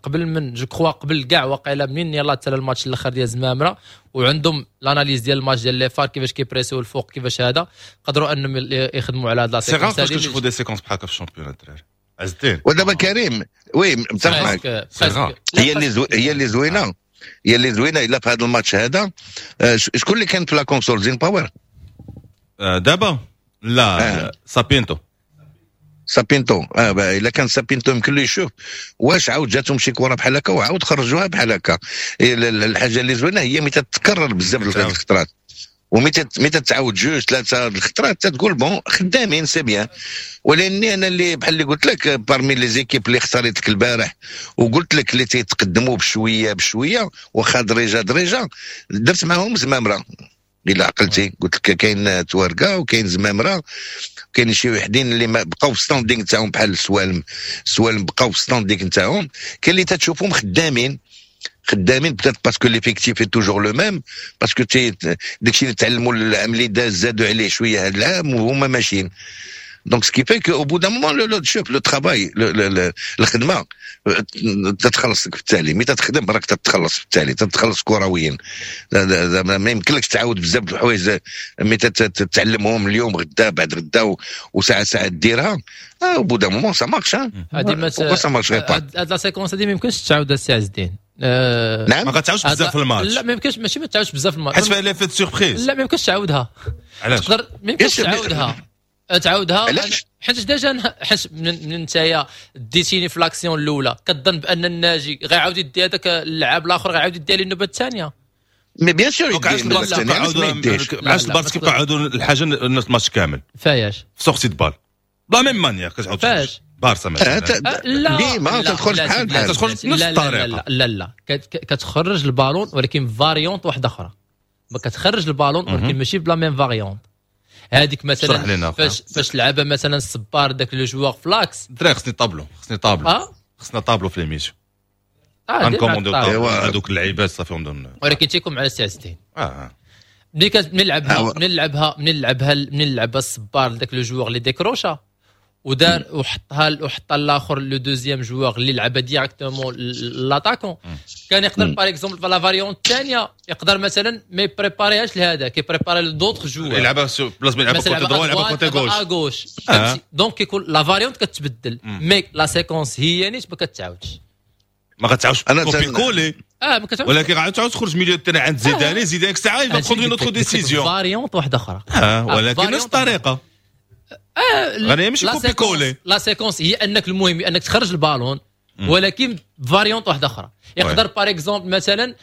قبل من je crois قبل كاع وقيله منين يلاه تسالى الماتش الاخر ديال زمامرة، وعندهم l'analyse ديال الماتش ديال les FAR كيفاش كيبريسيو الفوق كيفاش هذا، قدروا انهم يخدموا على هاد la séquence. c'est rare فاش كنشوفوا des séquences بحال هكا في ال championnat الدراري عز الدين. ودابا كريم oui متفق معاك، هي اللي زوينة، هي اللي زوينة الا في هذا الماتش هذا. شكون اللي كان في la console؟ زين باور دابا؟ لا سابينتو. سابينتو الا كان سابينتو يمكن له يشوف واش عاود جاتهم شي كره بحال هكا وعاود خرجوها بحال هكا. الحاجة اللي زوينة هي متى تتكرر بزاف الخطرات، ومتى تعاود جوج ثلاثة الخطرات تقول bon خدامين c'est bien. ولاني انا اللي بحال اللي قلت لك parmi les équipes اللي اختاريت لك البارح وقلت لك اللي تيتقدموا بشوية بشوية واخا دريجه دريجه، درت معاهم زمامرة الا عقلتي، قلت لك كاين تواركا وكاين زمامرة، كاين شي وحدين اللي ما بقاو في standing تاعهم بحال السوالم، السوالم بقاو في standing تاعهم. كاين اللي تتشوفهم خدامين peut-être parce que l'effectif est toujours le même، parce que داكشي اللي تعلموا العام اللي داز زادوا عليه شوية هذا العام وهما ماشيين. donc ce qui fait que au bout d'un moment le شوف le travail، الخدمة تتخلص في التالي، ملي تتخدم راك تتخلص في التالي، تتخلص كرويا. ما يمكنلكش تعاود بزاف د الحوايج ملي تتعلمهم اليوم غدا بعد غدا وساعة ساعة ديرها، au bout d'un moment ça marche. هادي ما هاد la séquence هادي ما يمكنش تعاود السي عز الدين. نعم ما غاتعاودش بزاف في الماتش. لا ما يمكنش، ماشي ما تعاودش بزاف في الماتش حيت فيها l'effet surprise. لا ما يمكنش تعاودها. علاش؟ تقدر ما يمكنش تعاودها حيت déjà حيت من نتايا ديتيني في l'action الاولى كتظن بان الناجي غيعاود يدي هذاك اللاعب الاخر غيعاود يدي النوبة الثانية. mais bien sûr علاش البارس كيبقاو يعاودوا الحاجة الماتش كامل فاياش sortie de balle la même manière كتعاود فاش بارسا مثلا لا ديما تدخل بحال بحال تدخل بنفس الطريقة. لا لا لا كتخرج البالون ولكن variante واحدة اخرى، ما كتخرج البالون ولكن ماشي ب la même variante. هذيك مثلا فاش لعبها مثلا الصبار داك le joueur ف l'axe الدراري خصني طابلو، خصني طابلو، خصنا طابلو في l'émission غنكومونديو طابلو هذوك اللعيبات صافي. ولكن تيكون على الساعة 60 ملي نلعبها الصبار لذاك le joueur اللي décrocha ودار وحطها الاخر le deuxième joueur اللي لعبها directement l'attaquant، كان يقدر par exemple في la variante الثانية يقدر مثلا ما ي préparer هاش لهذا، كي préparer ل d'autres joueurs، يلعبها بلاص ما يلعبها côté droit يلعبها côté gauche. donc كيكون la variante كتبدل، mais la séquence هي نيت ما كتعاودش، ما غتعاودش copier-coller. ما كتعاودش، ولكن غتعاود تخرج milieu terrain عند زيداني، زيداني ساعة il va prendre une autre décision، variante واحدة اخرى، ولكن نفس الطريقة. غير ماشي copier-coller. la séquence هي انك المهم انك تخرج البالون، ولكن variante واحدة اخرى. يقدر par exemple مثلا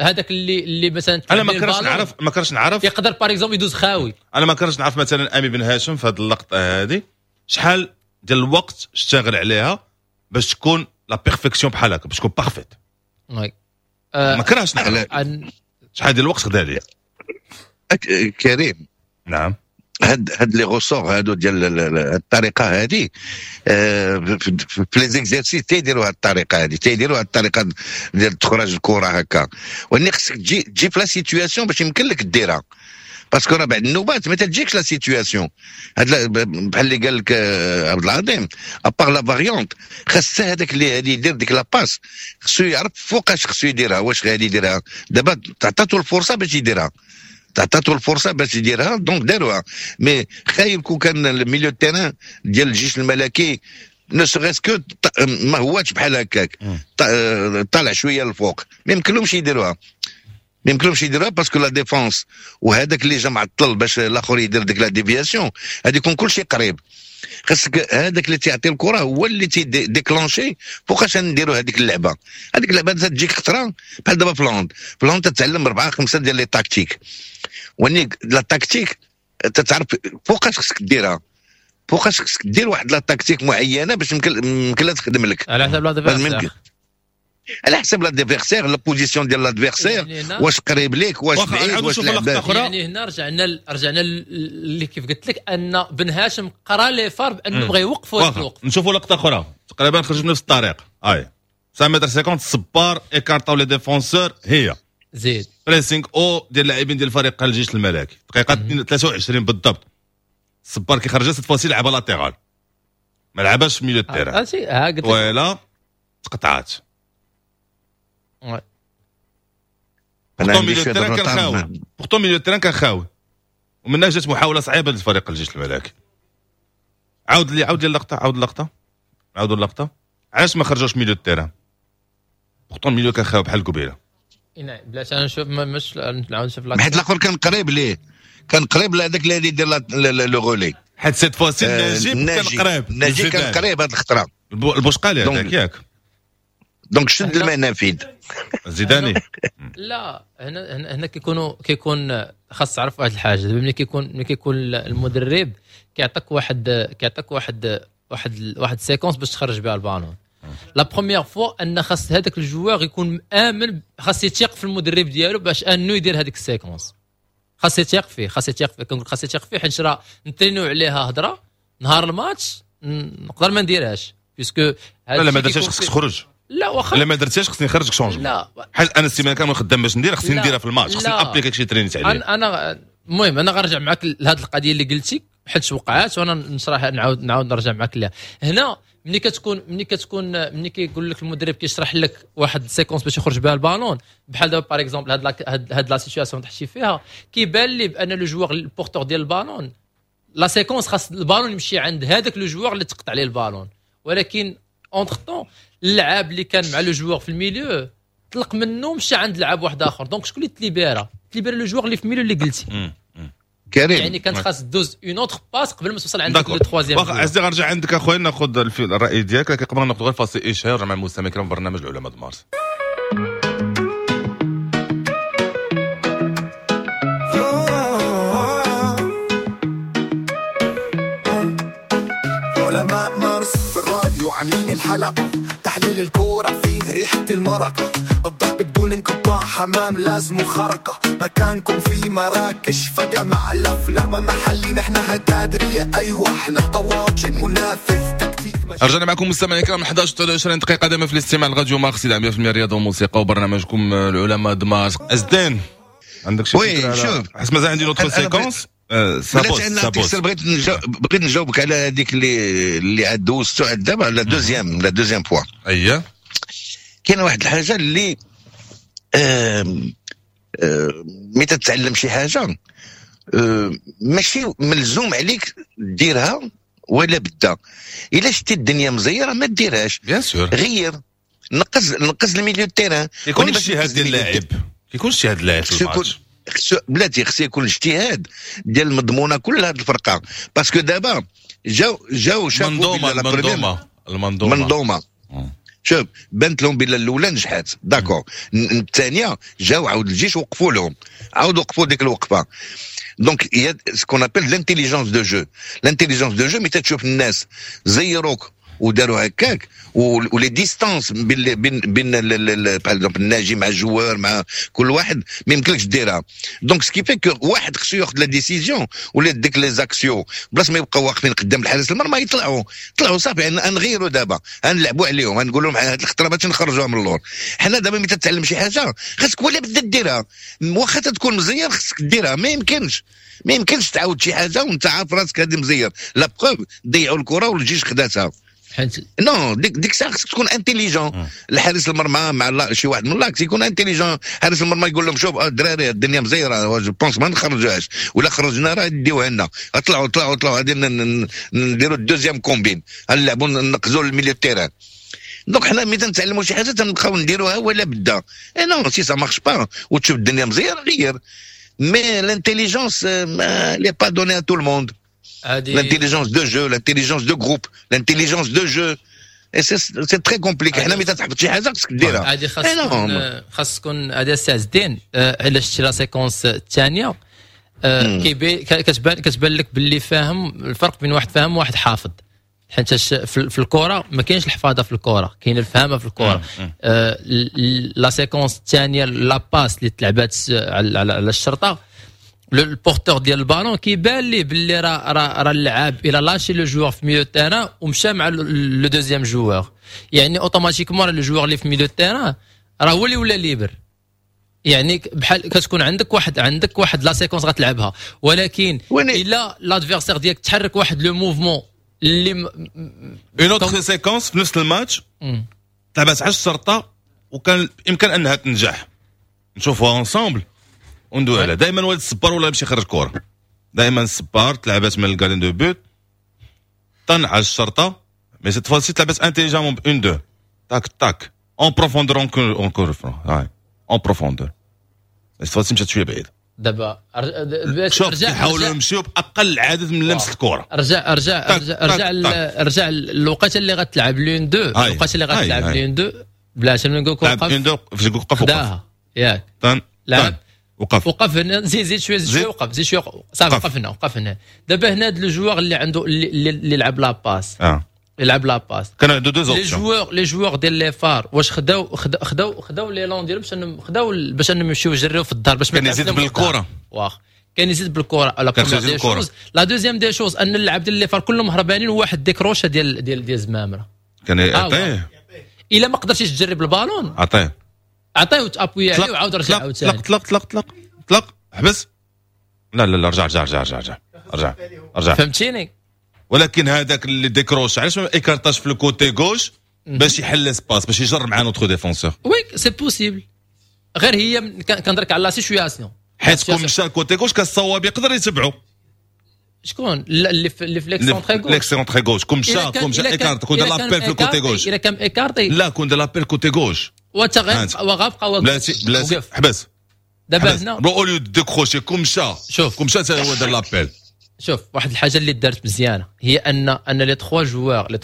هذاك اللي مثلا انا ما كرهتش نعرف يقدر par exemple يدوز خاوي. انا ما كرهتش نعرف مثلا امي بن هاشم في هذه اللقطة هذه شحال ديال الوقت اشتغل عليها باش تكون la perfection بحال هكا، باش تكون parfaite. oui ما كرهتش نعرف شحال ديال الوقت خدا ليا كريم. نعم، هاد les ressorts هادو ديال الطريقة هادي في les exercices تيديروا هاد الطريقة هادي، تيديروا هاد الطريقة ديال تخرج الكره هكا، ولكن خصك تجي في la situation باش يمكن لك ديرها، parce que راه بعد النوبات ما تجيكش la situation. هاد بحال اللي قال لك عبد العظيم، à part la variante خاص هذاك اللي غادي يدير ديك la passe خصو يعرف فوقاش خصو يديرها، واش غادي يديرها دابا. تعطاتو الفرصة باش يديرها، تعطاتو الفرصة باش يديرها، donc داروها. mais خايب كون كان ال milieu terrain ديال الجيش الملكي ne serait-ce que ما هواش بحال هكاك، طالع شوية للفوق، ما يمكنلهمش يديروها، ما يمكنلهمش يديروها parce que la défense وهذاك اللي جا معطل باش الاخر يدير ديك la déviation هادي يكون كلشي قريب. خاصك هذاك اللي تيعطي الكره هو اللي تي déclencher فوقاش نديروا هذيك اللعبة. هذيك اللعبة تجيك خطره بحال دابا في ال hand، في ال hand تتعلم 4 5 ديال les tactiques، وني la tactique تتعرف فوقاش خصك ديرها، فوقاش خصك دير واحد la tactique معينة باش يمكن لها تخدم لك على حسب l'adversaire، على حسب l'adversaire، la position ديال l'adversaire، واش قريب ليك واش بعيد واش لعبه. يعني هنا رجعنا اللي كيف قلت لك ان بن هاشم قرا les VAR بانه بغى يوقف واحد الوقت. نشوفوا لقطة اخرى تقريبا خرج بنفس الطريق، هاي 5 متر 50 الصبار écartاو les défenseurs، هي زيد pressing haut ديال اللاعبين ديال فريق الجيش الملكي، دقيقة 23 بالضبط. الصبار كيخرج cette fois-ci لعبه latéral، ما لعبهاش في milieu terrain، ولا تقطعات. pourtant milieu terrain كان خاوي، pourtant milieu terrain كان خاوي، ومنها جات محاولة صعيبة للفريق الجيش الملكي. عاود لي اللقطة، عاود اللقطة، عاودوا اللقطة. علاش ما خرجوش milieu terrain؟ pourtant milieu كان خاوي بحال قبيلة. نعم بلاش انا نشوف مش نعاود نشوف لاكشن، حيت الاخر كان قريب ليه، كان قريب لهذاك اللي يدير le relais، حيت cette fois-ci نجيب كان قريب، نجيب كان قريب هذه الخطرة، البوشقالي هذاك ياك، donc شد المنافذ زيداني. لا هنا هنا كيكون خاص تعرف واحد الحاجة. دابا ملي كيكون المدرب كيعطيك واحد كيعطيك واحد واحد واحد séquence باش تخرج بها ال ballon، la première fois ان خاص هذاك ال joueur يكون مامن، خاص يثيق في المدرب ديالو باش انه يدير هذيك ال séquence، خاص يثيق فيه، خاص يثيق فيه. كنقول خاص يثيق فيه حيت راه نترينو عليها هضره نهار الماتش نقدر ما نديرهاش، puisque لا ما درتهاش خصك تخرج. لا واخا لا ما درتهاش خصني نخرجك changement. لا حيت انا السيمانة كاملة خدام باش ندير، خصني نديرها في الماتش، خصني appliquer شي ترينيت عليه. انا المهم انا غنرجع معاك لهذه القضية اللي قلتي حيت وقعات، وانا نشرح نعاود نرجع معاك لها. هنا ملي كيقول لك المدرب كيشرح لك واحد ال séquence باش يخرج بها البالون، بحال دابا par exemple هاد la situation تحكي فيها، كيبان لي بان le joueur ال porteur ديال ال ballon la séquence خاص البالون يمشي عند هذاك le joueur اللي تقطع عليه البالون، ولكن entre-temps اللعاب اللي كان مع le joueur في ال milieu طلق منه مشى عند لعاب واحد اخر، donc شكون اللي تليبيرا le joueur اللي في ال milieu اللي قلتي كريم، يعني كانت خاص دوز une autre passe قبل ما توصل عندك le troisième. واخا عزيزي غنرجع عندك اخويا ناخذ الراي ديالك، لكن قبل ناخذ غير فاصل اشهار مع المستمعين الكرام برنامج العلماء مارس. علماء مارس في الراديو عاملين الحلقة، تحليل الكورة فيه ريحة المرق، الضرب بدون انقطاع، حمام لازم خرقة، مكانكم في مراكش فجأة مع الأفلام محلي، نحن هتادرية أيوة احنا طواجن منافذ تكتيك. رجعنا معكم مستمعينا الكرام 11:23 دقيقة دائما في الاستماع لراديو مارس 100% رياضة وموسيقى وبرنامجكم العلماء د مارس. أزدان عندك شي فكرة؟ شوف، حيت مازال عندي l'autre séquence. ça pose. بغيت نجاوبك على هذيك اللي عاد دوزتو عاد دابا، la deuxième fois. اييه. كاينه واحد الحاجة اللي ملي تتعلم شي حاجة ماشي ملزوم عليك ديرها ولا بدا. الا شتي الدنيا مزيره ما ديرهاش. bien sûr. غير نقص ال milieu terrain. كيكون اجتهاد ديال اللاعب، كيكون اجتهاد اللاعب في الماتش. بلاتي، خص يكون اجتهاد ديال المضمونه كل هذه الفرقه، parce que دابا جاو شافوا منظومه، المنظومه، المنظومه. منظومه. شوف، بانت لهم بلا الاولى نجحت، d'accord. الثانية جاو عاود الجيش وقفوا لهم، عاود وقفوا ديك الوقفه. donc il y a ce qu'on appelle l'intelligence de jeu. l'intelligence de jeu، ملي تشوف الناس زيروك وداروا هكاك و les distances بين par exemple الناجي مع ال joueur مع كل واحد، ما يمكنلكش ديرها. donc ce qui fait que واحد خصو ياخذ la décision، ولا ديك les axiaux بلاص ما يبقاو واقفين قدام الحارس المرمى يطلعوا، طلعوا صافي، نغيروا دابا، نلعبوا عليهم، نقول لهم هاد الخطرة باش نخرجوها من اللور. حنا دابا ملي تتعلم شي حاجة خاصك ولا بدا ديرها، واخا تكون مزير خصك ديرها. ما يمكنش تعاود شي حاجة وانت عارف راسك هذه مزير. la preuve، ضيعوا الكره والجيش خداتها. حيت non، ديك الساعة خصك تكون intelligent. الحارس المرمى مع شي واحد من l'axe يكون intelligent. حارس المرمى يقول لهم شوف الدراري، الدنيا مزيره، je pense ما نخرجوهاش، ولا خرجنا راه يديوها لنا. طلعوا طلعوا طلعوا، غادي نديروا ال deuxième combine، نلعبوا نقزوا ال milieu terrain. donc حنا ملي تنتعلموا شي حاجة تنبقاو نديروها ولا بدا. et non، si ça marche pas وتشوف الدنيا مزيره غير. mais l'intelligence n'est pas donnée à tout le monde. L'intelligence de jeu، l'intelligence de groupe، l'intelligence de jeu. Et c'est très compliqué. حنا ملي تحفظ شي حاجة خصك ديرها. هذه خاص تكون هذه السي عز الدين. الا شتي la séquence الثانية كيبان كتبان لك باللي فاهم، الفرق بين واحد فاهم وواحد حافظ، حيت في الكره ما كاينش الحفاظه في الكره، كاين الفهامه في الكره. La séquence الثانيه، la passe اللي تلعبات على الشرطه، ال porteur ديال البالون كيبان ليه باللي راه اللعاب il a lâché le joueur في milieu terrain ومشى مع le deuxième joueur، يعني automatiquement le joueur اللي في milieu terrain راه هو اللي ولا libre. يعني بحال كتكون عندك واحد la séquence غتلعبها، ولكن الا l'adversaire ديالك تحرك واحد le mouvement اللي une autre séquence في نفس الماتش تلعبات على الشرطة وكان يمكن انها تنجح. نشوفوها ensemble وندوي عليها. دائما ولد الصبار ولا يمشي يخرج كره، دائما الصبار. تلعبات من ال gardien de but طن على الشرطه، mais cette fois-ci تلعبات intelligemment، 1 2 tac tac en profondeur، encore هاي en profondeur. cette fois-ci مشات شوية بعيد. دابا شوف، يحاولوا يمشيو باقل عدد من لمس الكره. رجع رجع رجع رجع رجع الوقت اللي غتلعب l'une-deux، الوقت اللي غتلعب l'une-deux، بلاش نقول وقف. l'une-deux، فاش وقف وقف ياك؟ لعب وقف. وقف هنا، زيد زيد شويه، زيد شويه، وقف، زيد شويه، صافي وقف هنا، وقف هنا. دابا هنا هذا le joueur اللي عنده اللي لعب la passe يلعب la passe. كان عنده deux les options. joueurs ديال les FAR واش خداو l'élan ديالهم باش انهم خداو باش انهم يمشيو يجريو في الظهر باش ما كان يزيد بالكرة. واخ كان يزيد بالكره، la première des choses. la deuxième des choses ان اللعب ديال les FAR كلهم هربانين وواحد décrocha ديال زمامره. كان يعطيه. الا ما قدرتيش تجري بالبالون عطية. عطية وت appuyer عليه وعاود رجع عاوتاني. طلق طلق طلق طلق طلق، حبس، لا لا لا، رجع رجع رجع رجع رجع رجع رجع. فهمتيني؟ ولكن هذاك اللي décroche علاش ما écarta ش في ال côté gauche باش يحل espace باش يجر مع notre défenseur؟ oui، c'est possible، غير هي كنهضرك على la situation. حيت كون مشى ال côté gauche كان الصواب يقدر يتبعو. شكون اللي في l'excentré gauche؟ l'excentré gauche، كون مشى écarte، كون دار l'appel في ال côté gauche. الا كان écarté. لا، كون دار l'appel côté gauche. وانت غير وغابقى. بلاتي بلاتي، حبس. دابا هنا au lieu décrocher، كون مشى شوف. كون مشى هو دار l'appel. شوف، واحد الحاجة اللي دارت مزيانه هي ان les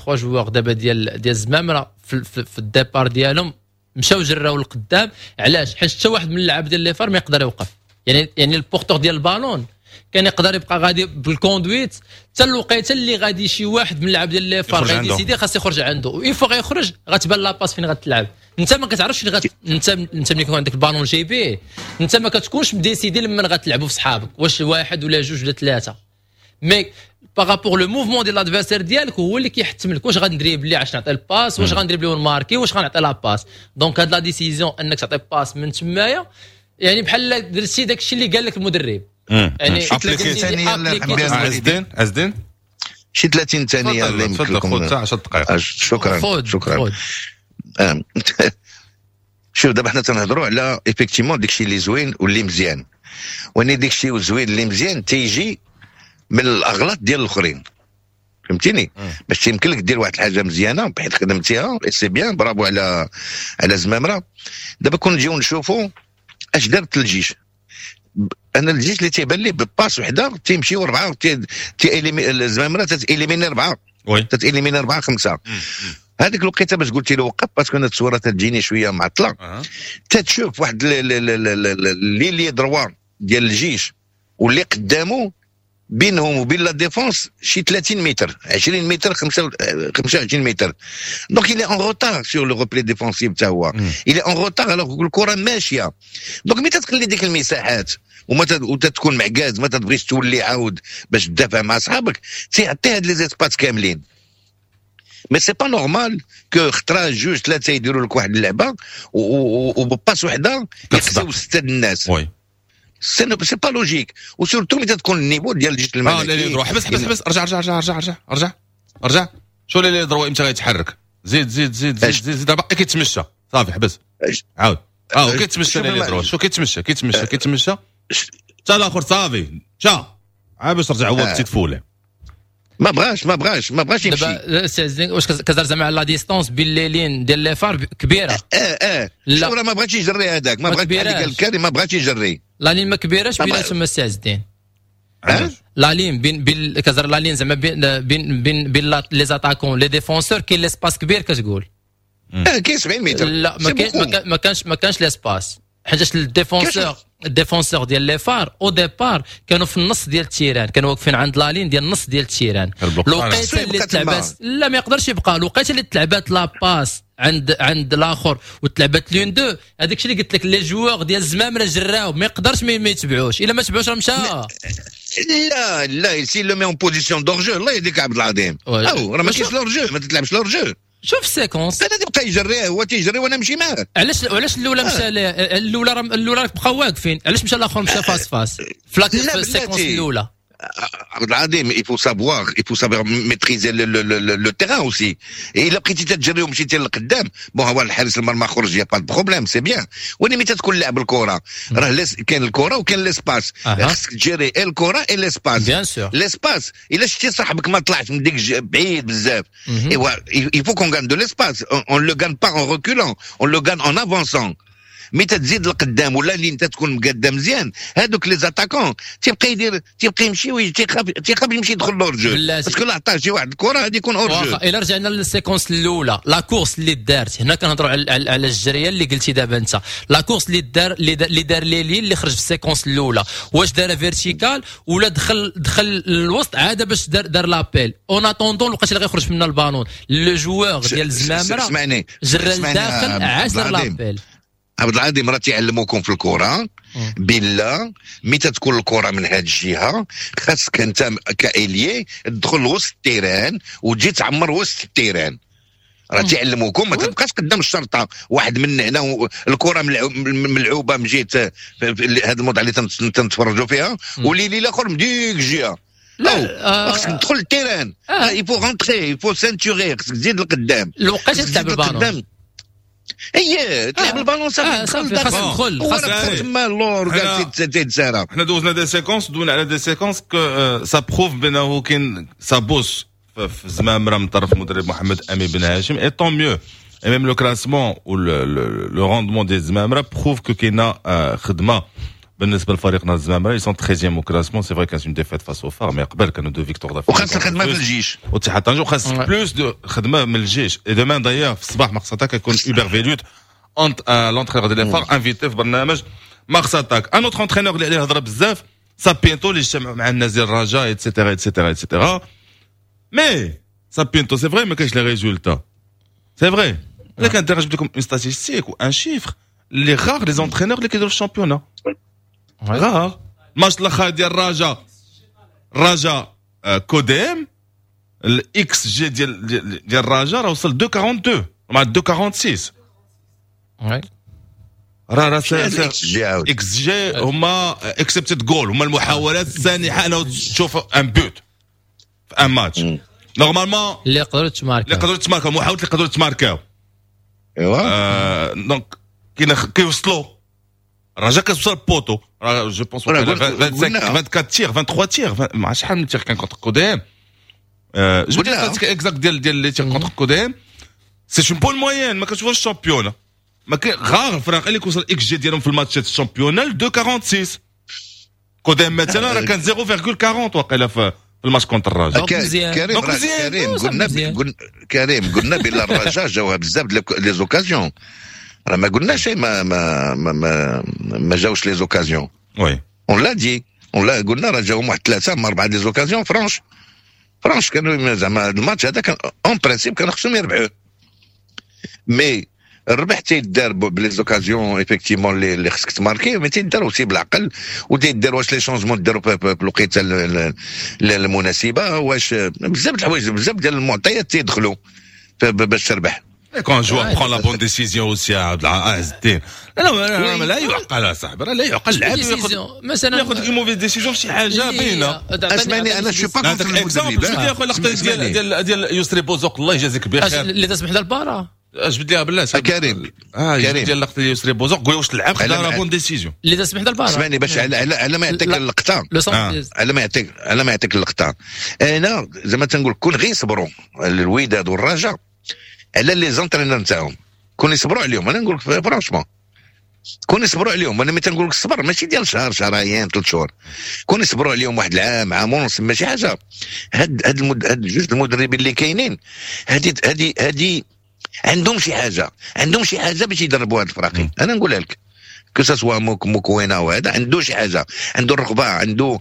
trois joueurs دابا ديال الزمامره في ال départ ديالهم مشاو جراو لقدام. علاش؟ حيت حتى واحد من اللعاب ديال les FAR ما يقدر يوقف. يعني ال porteur ديال البالون كان يقدر يبقى غادي بال conduite حتى الوقيته اللي غادي شي واحد من اللعاب ديال les FAR غادي décider خاص يخرج عنده، une fois غيخرج غتبان la passe فين غتلعب. انت ما كتعرفش فين انت ملي يكون عندك البالون جايبيه انت ما كتكونش م décidé لمن غتلعبوا في صحابك، واش واحد ولا جوج ولا ثلاثه، mais par rapport le mouvement ديال l'adversaire ديالك هو اللي كيحتم لك واش غن dribbler عشان نعطي ال passe، واش غن dribbler ون marquer، واش غنعطي la passe. donc هاد la décision انك تعطي passe من تمايا. يعني بحال درتي داك الشيء اللي قال لك المدرب. يعني عزدين عزدين شي 30 ثانية اللي يمكن لكم. 10 دقائق. شكرا شكرا. شوف دابا حنا تنهضروا على effectivement داكشي اللي زوين واللي مزيان، واني داكشي زوين اللي مزيان تيجي من الاغلاط ديال الاخرين، فهمتيني؟ باش يمكن لك دير واحد الحاجة مزيانه بحيث خدمتيها c'est bien، bravo على زمامرة. دابا كون نجيو نشوفوا اش دارت الجيش، انا الجيش اللي تيبان لي ب passe وحده تيمشيو اربعة، الزمامره تت éliminer اربعة، تت éliminer اربعة خمسة. هذيك الوقيته باش قلتي له وقف، parce que انا التصويره تجيني شوية معطلة. تتشوف واحد l'ailier droit ديال الجيش واللي قدامه بينهم وبين la défense شي 30 متر، 20 متر، 25 متر. donc il est en retard sur le repli défensif تا هو، il est en retard alors الكره ماشية. donc ملي تخلي ديك المساحات وما وتتكون معكاز، ما تبغيش تولي عاود باش تدافع مع صحابك، تيعطي هاد les espaces كاملين. mais c'est pas normal que خطره جوج ثلاثة يديروا لك واحد اللعبة وب passe وحده يخسروا ستة الناس. oui c'est pas logique، و surtout ملي تكون ال niveau ديال الجيش الملكي. l'ailier droit حبس حبس حبس، رجع رجع رجع رجع رجع رجع رجع. شو l'ailier droit امتى غيتحرك؟ زيد زيد زيد زيد زيد زيد، باقي كيتمشى. صافي حبس عاود. هو كيتمشى l'ailier droit، شو كيتمشى كيتمشى كيتمشى حتى الاخر صافي مشى، عاد باش رجع هو petite foulée. ما بغاش ما بغاش ما بغاش يمشي. دابا واش كتهضر زعما على la distance بين les lignes ديال les FAR كبيرة؟ لا ما بغاش يجري هذاك، ما بغاش هذيك الكاري، ما بغاش يجري. la ligne ما كبيراش بيناتهم السي عز الدين. la ligne بين كتهضر la ligne زعما بين بين بين بين les attaquants les défenseurs كاين l'espace كبير كتقول. كاين 70 متر. لا ما كانش ما كانش l'espace، حيتاش ال défenseur ال défenseurs ديال les FAR au départ كانوا في النص ديال ال terrain، كانوا واقفين عند la ligne ديال النص ديال ال terrain. الوقيته اللي تلعبات لا ما يقدرش يبقى، الوقيته اللي تلعبات la passe عند الاخر وتلعبات l'un-deux، هذاك الشيء اللي قلت لك les joueurs ديال الزمامره جراو، ما يقدرش ما يتبعوش، الا ما تبعوش راه مشى. لا لا s'il le met en position d'hors-jeu، الله يهديك عبد العظيم، او راه ما كاينش l'hors-jeu، ما تتلعبش l'hors-jeu. شوف séquence انا تبقى يجري، هو تيجري وانا نمشي معاه. علاش الاولى مشى، الاولى بقاو واقفين، علاش مشى الاخر مشى face face في ال séquence الاولى؟ عبد العظيم il faut savoir il faut savoir maîtriser le terrain aussi. الا بقيتي تجري ومشيتي للقدام، bon هو الحارس المرمى خرج، y a pas de problème، c'est bien. ولكن ملي تكون لعب الكره راه كاين الكره وكاين l'espace، خصك تجري الكره et l'espace. bien sûr l'espace الا شتي صاحبك ما طلعش من ديك بعيد بزاف، ايوا il faut qu'on gagne de l'espace، on le gagne pas en reculant، on le gagne en avançant. mais تزيد لقدام ولا اللي انت تكون مقدم مزيان، هذوك les attaquants تيبقى يدير تيبقى يمشي تيخاف يمشي يدخل l'hors-jeu، parce que لا عطاه شي واحد الكره غادي يكون hors-jeu. الا رجعنا لل séquence الاولى، la course اللي دارت هنا، كنهضروا على الجريه اللي قلتي دابا انت، la course اللي دار l'ailier اللي خرج في ال séquence الاولى، واش دار verticale ولا دخل الوسط عادة باش دار l'appel en attendant الوقت اللي غيخرج من ال ballon le joueur ديال الزمامره اسمعني. جرى لداخل عاد دار l'appel. عبد العظيم راه تيعلموكم في الكره بلا متى تكون الكره من هذه الجهة خاصك انت ك ailier تدخل وسط ال terrain وتجي تعمر وسط ال terrain. راه تيعلموكم ما تبقاش قدام الشرطة واحد من هنا الكره ملعوبه من جهة هذا الموضوع اللي تنتفرجوا فيها و l'ailier الاخر من ديك الجهة. لا خاصك تدخل ال terrain، il faut rentrer، il faut ceinturer، خاصك تزيد لقدام. الوقت تلعب البالون. اي تلعب البالون صافي. صافي خاصك تدخل. خاصك تما اللور كاع تيتسارى. حنا دوزنا des séquences، دوزنا على des séquences que ça prouve بانه كاين ça bosse في زمامرة من طرف المدرب محمد امين بن هاشم، et tant mieux. et même le classement و le rendement ديال زمامرة prouve que كاينه خدمة بالنسبة لفريقنا الزمامره. ils sont 13 au classement، c'est vrai كانت une défaite face aux FAR، mais قبل كانوا deux victoires. وخاص الخدمة في الجيش. واتحاد طنجه، وخاص plus de خدمة من الجيش. et demain d'ailleurs في الصباح Mars Attack يكون Hubert Velud l'entraîneur ديال les FAR invité في برنامج Mars Attack. un autre entraîneur اللي عليه هضره بزاف، سابينتو، اللي اجتمع مع الناس ديال الرجاء et cetera et cetera et cetera. mais سابينتو c'est vrai ما كاينش les résultats، c'est vrai، لكن جبت لكم une statistique و un chiffre اللي rares les entraîneurs اللي كيديروا في ال championnat، rares. الماتش الاخر ديال الرجاء، الرجاء كوديم، ال xG ديال الرجاء راه وصل 2.42 مع 2.46. راه xG هما expected goal، هما المحاولات السانحه انه تشوف un but في un match normalement. اللي يقدروا تماركاو. اللي يقدروا تماركاو، المحاولات اللي يقدروا تماركاو. ايوا donc كاين كيوصلوا، الرجاء كتوصل poteau، je pense 25، 24 tirs، 23 tirs، ما عرفتش شحال من tir كان contre CODM. جبت les exacts ديال les tirs contre CODM، c'est une bonne moyenne. ما كتشوفوش ال championnat، ما كاين غار الفرق اللي كيوصل xG ديالهم في الماتشات ال championnat 2.46. CODM مثلا راه كان 0.40 واقيلا في الماتش contre الرجاء. كريم، كريم، قلنا، كريم، قلنا بلا الرجاء جاوها بزاف les occasions، راه ما قلناش ما جاوش les occasions. oui. on l'a dit، on l'a قلنا راه جاهم واحد ثلاثة ما اربعة des occasions franches franches. كانوا زعما الماتش هذا كان en principe كانوا خصهم يربحوه، mais الربح تيدار ب les occasions effectivement اللي خصك تماركي، mais تيدار aussi بالعقل، وتيدار واش les changements داروا في الوقيته المناسبه، واش بزاف الحوايج، بزاف ديال المعطيات تيدخلوا باش تربح. quand un joueur prend la bonne décision aussi، عز الدين، لا لا لا يعقل صاحبي، لا يعقل اللاعب ياخذ مثلا ياخذ une mauvaise décision في شي حاجة باينه. اسمعني، انا je suis pas contre المدرب. جبد لي اخويا اللقطة ديال يسري بوزوق، الله يجازيك بخير. اللي تسمح البارا. جبد ليها بالله. كريم. كريم، ديال اللقطة ديال يسري بوزوق، قول واش لعب خدا la bonne décision. اللي تسمح البارا. اسمعني، باش على ما يعطيك اللقطه، على ما يعطيك اللقطه، انا زعما تنقول كون غير يصبروا الوداد والرجاء على les entraîneurs نتاعهم، كون يصبروا عليهم. انا نقول لك franchement كون يصبروا عليهم. انا ملي تنقول لك الصبر ماشي ديال شهر، شهرين، 3 شهور، كون يصبروا عليهم واحد العام، عام ونص، ماشي حاجه. هاد جوج المدربين اللي كاينين هادي عندهم شي حاجه، عندهم شي حاجة باش يدربوا هاد الفراقي. انا نقولها لك، que ce soit موكوينا وهذا عنده شي حاجه، عنده الرغبه، عنده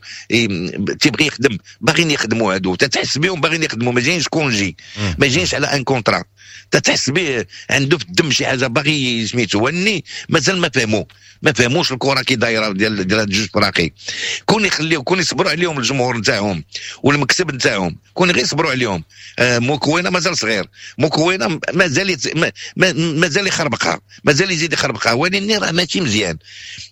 تيبغي يخدم، باغيين يخدموا هادو، تتحس بهم باغيين يخدموا، ما جايينش congé، ما جايينش على un contrat، تتحس به عنده في الدم شي حاجة باغي سميتو. واني مازال ما فهموش الكره كي دايرة ديال هاد جوج فراقي. كون يخليو، كون يصبروا عليهم الجمهور نتاعهم والمكتب نتاعهم، كون غير يصبروا عليهم. موكوينا مازال صغير، موكوينا مازال مازال يخربقها، مازال يزيد يخربقها، ولكن راه ماشي مزيان.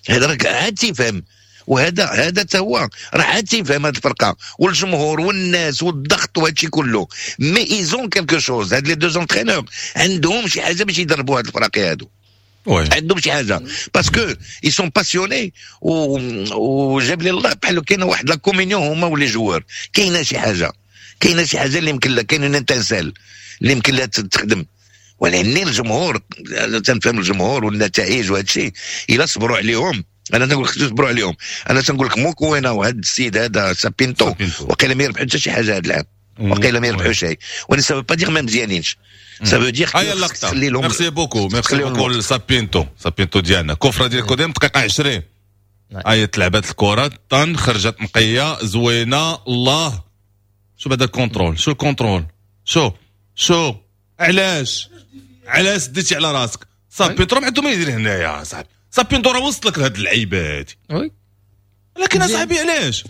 هذا راه عاد تيفهم، وهذا حتى هو راه عاد تيفهم هذه الفرقة والجمهور والناس والضغط وهذا الشيء كله، mais ils ont quelque chose. هاد les deux entraîneurs عندهم شي حاجة باش يدربوا هاد الفراقي هادو. عندهم شي حاجة parce que ils sont passionnés، وجاب لي الله بحال كاينه واحد la communion هما و les joueurs، كاينه شي حاجه، كاينه شي حاجة اللي يمكن لها، كاينه étincelle اللي يمكن لها تخدم. ولكن الجمهور، تنفهم الجمهور والنتائج وهذا الشيء، الا صبروا عليهم، انا تنقول لك صبروا عليهم. انا تنقول لك موكوينا وهذا السيد هذا سابينتو وقيلا ما يربحوا حتى شي حاجة هذا العام، وقيلا ما يربحوا شيء. وانا ça veut pas dire ما مزيانينش، ça veut dire هيا اللقطه. merci beaucoup، merci beaucoup. سابينتو، سابينتو ديالنا، coup franc ديال CODM، دقيقة 20، هاي تلعبات الكره، طن خرجت نقية زوينه. الله، شو هذا ال contrôle، شو ال contrôle، شو شو، علاش علاش ديتي على راسك؟ سابينتو ما عنده ما يدير هنايا صاحبي. سابينتو راه وصلك لهاد اللعيبة هادي. oui. لكن اصاحبي علاش،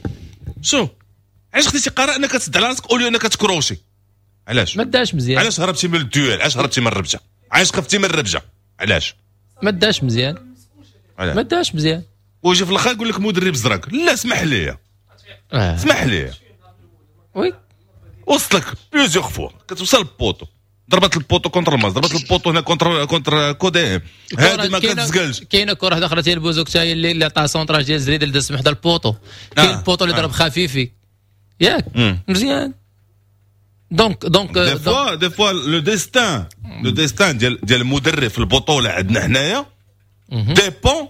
شو علاش خديتي قرار انك تسد على راسك au lieu انك تكروشي؟ علاش؟ ما داش مزيان. علاش هربتي من ال duel؟ علاش هربتي من الربجه؟ علاش خفتي من الربجه؟ علاش؟ ما داش مزيان. علاش؟ ما داش مزيان. ويجي في الاخر يقول لك مدرب زرق. لا، اسمح لي. اسمح لي. oui. وصلك plusieurs fois، كتوصل ال poteau، ضربت ال poteau contre الماس، ضربت ال poteau هنا contre CODM، هذه ما كتزقلش. كاينه كره واحدة اخرى ديال بوزوك حتى اللي عطاه centrage ديال زريد اللي داز حدا ال poteau. كاين ال poteau اللي ضرب خفيفي ياك مزيان، donc des fois le destin ديال المدرب في البطولة عندنا حنايا dépend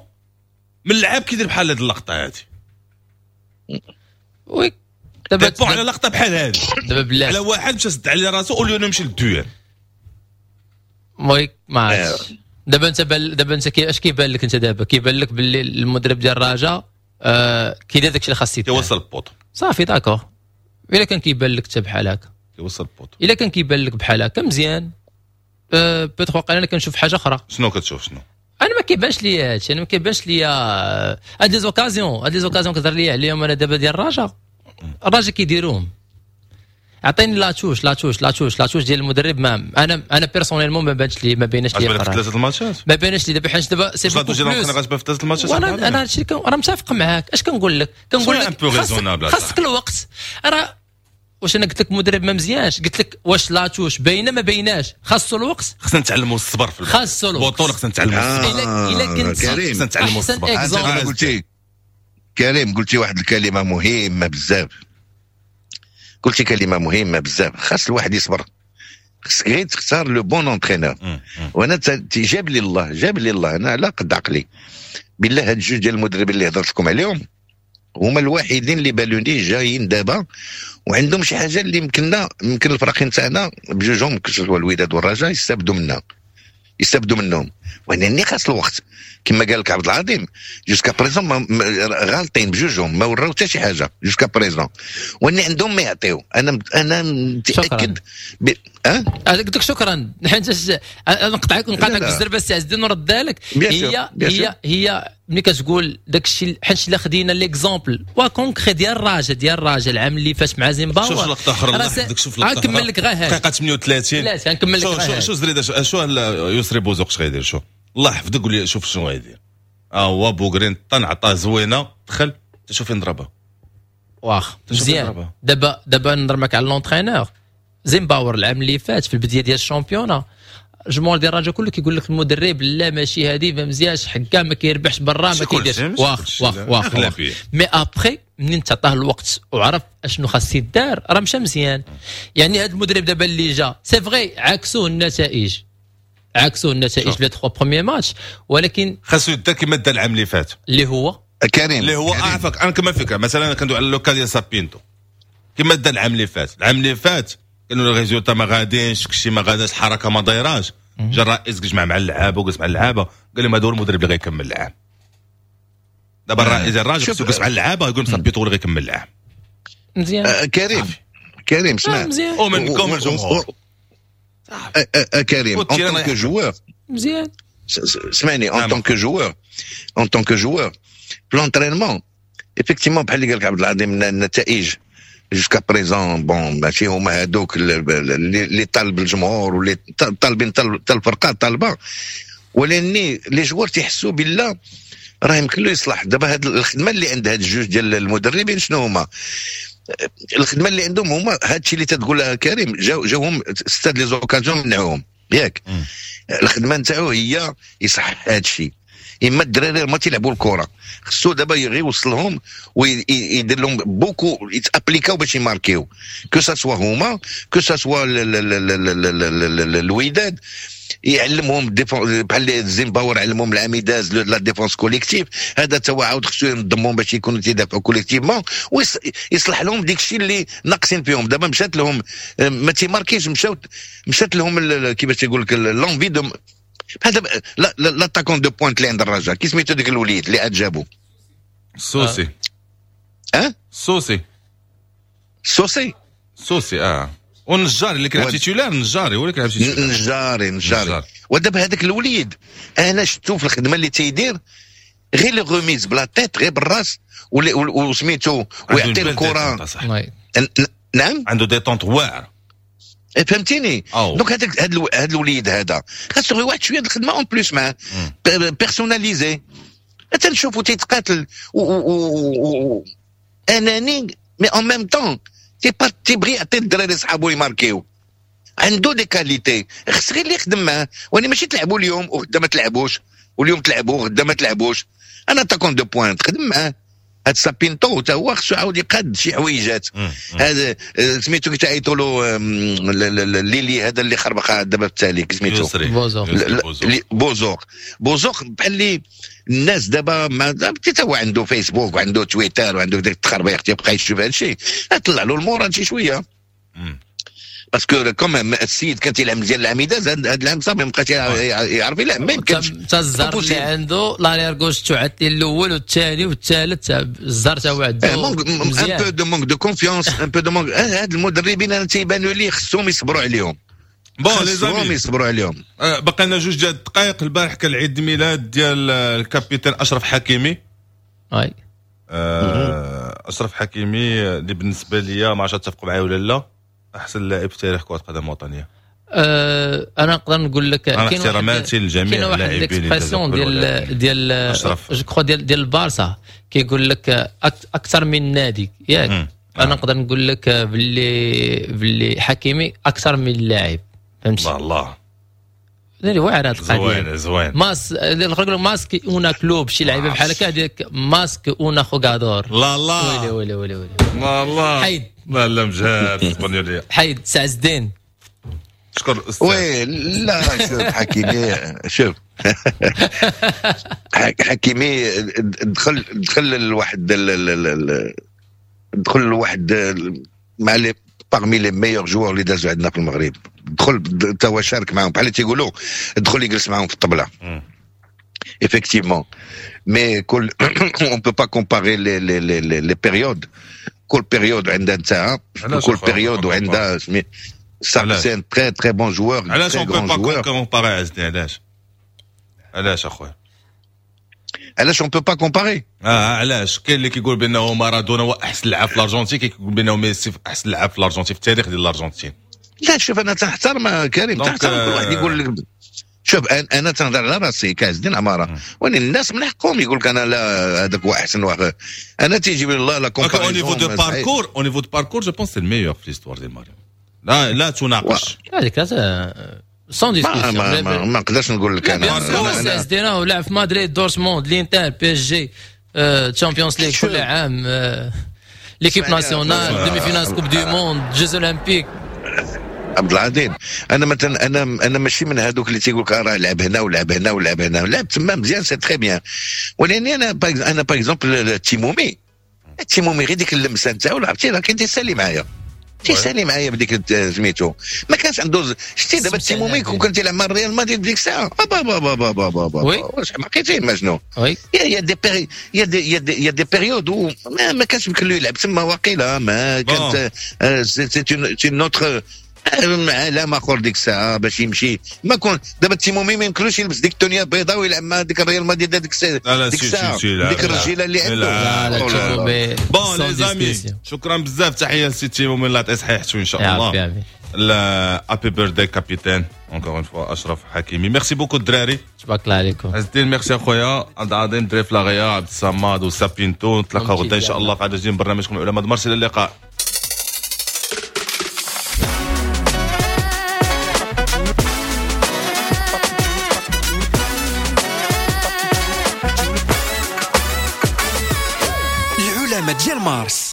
من اللاعب كيدير بحال هذه اللقطة هذه. oui. دابا dépend على لقطة بحال هذه. دابا بالله. على واحد مشى سد على راسو au lieu نمشي لل duel. oui، ما عرفتش. دابا انت اش كيبان لك انت دابا؟ كيبان لك باللي المدرب ديال الرجاء كيدير داكشي اللي خاص يدير. كيوصل ال poteau. صافي، d'accord. الا كان كيبان لك انت بحال هكا. كيوصل ال poteau. الا كان كيبان لك بحال هكا مزيان، peut-être واقيلا انا كنشوف حاجة اخرى. شنو كتشوف؟ شنو؟ انا ما كيبانش لي هادشي، انا ما كيبانش لي هاد les occasions، هاد les occasions كتهضر لي عليهم انا دابا ديال الرجاء، الرجاء كيديروهم. عطيني la touche la touche la touche la touche ديال المدرب. ما انا personnellement ما بانش لي، ما بيناش لي ثلاثة الماتشات، ما بانش لي دابا، حيت دابا c'est la touche ديال l'entraîneur في ثلاثة الماتشات. وانا هادشي راه متفق معاك. اش كنقول لك؟ كنقول لك خاصك الوقت. راه واش انا قلت لك مدرب ما مزيانش؟ قلت لك واش la touche باينة ما بايناش، خاصو الوقت. خصنا نتعلموا الصبر في خاصو الوقت البطولة، خصنا نتعلموا الصبر. الا كنت خصنا نتعلموا الصبر. قلتي كريم، قلتي واحد الكلمة مهمة بزاف، قلتي كلمة مهمة بزاف. خاص الواحد يصبر، خصك غير تختار le bon entraîneur. وانا جاب لي الله، جاب لي الله، انا على قد عقلي بالله. هاد الجوج ديال المدربين اللي هضرت لكم عليهم هما الوحيدين اللي بالوني جايين دابا وعندهم شي حاجة اللي يمكننا، يمكن الفرقين تاعنا بجوجهم كسوا الوداد والرجاء يستافدوا منها، يستافدوا منهم. ولكن خاص الوقت كما قال لك عبد العظيم. jusqu'à présent غالطين بجوجهم، ما وراو حتى شي حاجة jusqu'à présent، وان عندهم ما يعطيو. انا متاكد. قلت لك شكرا، حيت نقطعك بالزربه السي عز الدين ونرد لك. هي هي هي ملي كتقول داك الشيء، حيت الا خدينا l'exemple و concret ديال الراجا، ديال الراجا العام اللي فات مع زيمباور. شوف لقطة اخرى، الله يحفظك، شوف لقطة نكمل لك غير دقيقة 38. لا نكمل لك غير. شو زريده، شو يسري بوزوق اش غيدير؟ شو الله يحفظك قول لي شوف شنو غيدير. هو بوغرين طن عطاه زوينة، دخل شوف فين ضربها. واخ مزيان. دابا نهضر معاك على l'entraîneur زيمباور العام اللي فات في البداية ديال ال championnat، الجمهور ديال الرجاء كله كيقول لك المدرب لا ماشي هادي، ما مزيانش، حكا ما كيربحش برا، ما كيديرش. واخ واخ واخ mais après منين تعطاه الوقت وعرف اشنو خاص يدار راه مشى مزيان. يعني هذا المدرب دابا اللي جا c'est vrai عكسوه النتائج، عكسوه النتائج les 3 premiers matchs، ولكن خاصو يدار كما دا العام اللي فات، اللي هو كريم، اللي هو اعفك. انا كما فكرة مثلا كندوي على le cas ديال سابينتو كما دا العام اللي فات. العام اللي فات كانوا les résultats ما غادينش، كشي ما غاداش، الحركة ما دايراش. جا الرئيس جمع مع اللعابه وجلس مع اللعابه، قال لهم هذا هو المدرب اللي غيكمل العام. دابا الرئيس الراجل خصو يجلس مع اللعابه يقول لهم سابينتو اللي غيكمل العام. مزيان. كريم، كريم اسمع، ومنكم الجمهور كريم en tant que joueur. مزيان اسمعني، en tant que joueur، en tant que joueur في l'entraînement effectivement بحال اللي قال لك عبد العظيم، النتائج jusqu'à présent bon ماشي هما هادوك اللي طالب الجمهور واللي طالبين حتى الفرقة طالبه، ولكن les joueurs تيحسوا بالله راه يمكن له يصلح. دابا هاد الخدمة اللي عند هاد الجوج ديال المدربين شنو هما الخدمة اللي عندهم؟ هما هادشي اللي تتقول كريم، جاوهم ستة les occasions منعوهم ياك. الخدمة نتاعو هي يصحح هادشي. اما الدراري ما تيلعبوا الكره، خصو دابا غير يوصلهم ويدير لهم beaucoup يتابليكاو باش يماركيو، que ce soit هما que ce soit الوداد. يعلمهم بحال زيمباور علمهم العام داز la défense collective، هذا تا هو عاود خصو ينظمهم باش يكونوا تيدافعوا collectivement ويصلح لهم ديك الشيء اللي ناقصين فيهم. دابا مشات لهم ما تيماركيش، مشات لهم كيفاش تيقول لك l'envie de هذا l'attaquant de pointe اللي عند الرجاء، كي سميتو ديك الوليد اللي عاد جابو؟ السوسي. السوسي. السوسي. السوسي والنجاري اللي كيلعب titulaire، النجاري هو اللي كيلعب titulaire. النجاري. ودابا هذاك الوليد انا شفتو في الخدمة اللي تيدير، غير les remises ب la tête، غير بالراس وسميتو ويعطي الكره. نعم عنده détente واعر، فهمتيني؟ donc هذاك هذا الوليد هذا خاصو غير واحد شوية الخدمة en plus معاه personnalisée. تنشوفو تيتقاتل اناني mais en même temps تيبغي يعطي الدراري صحابو يماركيو، عنده des qualités، خص غير اللي يخدم معاه. وانا ماشي تلعبوا اليوم وغدا ما تلعبوش، واليوم تلعبوا وغدا ما تلعبوش. un attaquant de pointe خدم معاه. هاد سابينتو تا هو خصو عاود يقاد شي حويجات. هذا سميتو كي تعيطوا له ليلي هذا اللي خربق دابا في التالي، سميتو بوزوق. بوزوق بحال اللي الناس دابا حتى هو عنده فيسبوك وعنده تويتر وعنده داك التخربيق، تيبقى يشوف هذا الشيء، طلع له ال moral شي شوية. parce que comme السيد كان تيلعب مزيان العام داز، هذا العام صافي ما بقاش يعرف يلعب، ما يمكنش. حتى الزهر اللي عنده l'arrière gauche تعطي الاول والثاني والثالث، الزهر تا هو عنده un peu de manque de confiance، un peu de manque. هاد المدربين انا تيبانوا لي خصهم يصبروا عليهم. bon les amis يصبروا عليهم. بقى لنا جوج ديال الدقائق. البارح كان العيد ميلاد ديال ال capitaine اشرف حكيمي. اي اشرف حكيمي اللي بالنسبة ليا ما عرفتش تتفقوا معايا ولا لا، احسن لاعب في تاريخ كره قدم وطنية؟ انا نقدر نقول لك كاين احتراماتي لجميع اللاعبين، كاين واحد ديال je crois ديال البارسا كيقول لك اكثر من نادي، ياك؟ انا نقدر نقول لك باللي حكيمي اكثر من لاعب، فهمتي؟ الله الله، اللي واعر هذه القضية. زوين زوين. más نقول más que un club، شي لعيبة بحال هكا هذيك más que un jugador. لا لا، ويلي ويلي ويلي ويلي، لا لا، حيد، لا لا، مجهد اسبانيوليه، حيد سعد الدين. شكر الاستاذ. oui لا، شوف حكيمي، شوف حكيمي دخل لواحد مع les parmi les meilleurs joueurs اللي دازوا عندنا في المغرب. دخل تا هو شارك معاهم، بحال تيقولوا دخل يجلس معاهم في الطبلة. effectivement، mais كل on peut pas comparer les périodes. كل période عندها نتاعها، كل période وعندها ça. c'est un très très bon joueur. علاش on peut pas comparer عزني؟ علاش علاش اخويا؟ علاش on peut pas comparer؟ اه علاش؟ كاين اللي كيقول بانه مارادونا هو احسن لاعب في الارجنتين، كيقول بانه ميسي احسن لاعب في الارجنتين في التاريخ ديال الارجنتين. لا شوف، انا تنحترم كريم، تحترم كل واحد يقول لك. شوف، انا تنهضر على راسي كعز الدين عماره، ولكن الناس من حقهم يقول لك انا لا، هذاك هو احسن واحد. انا تيجي الله la comparaison au niveau de parcours، au niveau de parcours، je pense c'est le meilleur في l'histoire ديال المغرب، لا لا تناقش. هذيك sans discussion. ما نقدرش نقول لك انا. انا ولعب في مدريد، دورتموند، الانتر، PSG، Champions League كل عام، l'équipe nationale، demi-finale Coupe du monde، Jeux olympiques. عبد العظيم، انا مثلا انا ماشي من هذوك اللي تيقول لك راه لعب هنا ولعب هنا ولعب هنا. لعب تما مزيان، c'est très bien، ولكن انا par exemple تيمومي، تيمومي غير ديك اللمسة نتاعو لعبتي راه كان تيسالي معايا بديك سميتو، ما كانش عنده. شتي دابا تيمومي كون كان تيلعب مع الريال مدريد ديك الساعه، با با با با با با با، واش حماقيتي ما شنو؟ oui. y a des périodes ما كانش يمكن له يلعب تما، واقيلا ما كانت c'est une autre عالم اخر ديك الساعة باش يمشي. ما كون دابا تيمومي ما يمكنلوش يلبس ديك التونيه البيضاء ويلعب مع ديك الريال مدريد ديك الساعه، ديك الساعة ديك الرجيله اللي عنده. لا لا. bon les amis، شكرا بزاف، تحية لسي تيمومي، الله يعطيه صحيحته ان شاء الله. happy birthday capitaine encore une fois اشرف حكيمي. merci beaucoup الدراري. تبارك الله عليكم. عز الدين، ميرسي اخويا عبد العظيم، دري فلاغيا، عبد الصمد وسابينتو. نتلاقاو غدا ان شاء الله في عدد جديد من برنامجكم العلماء مارس. الى اللقاء. العلماء ديال مارس.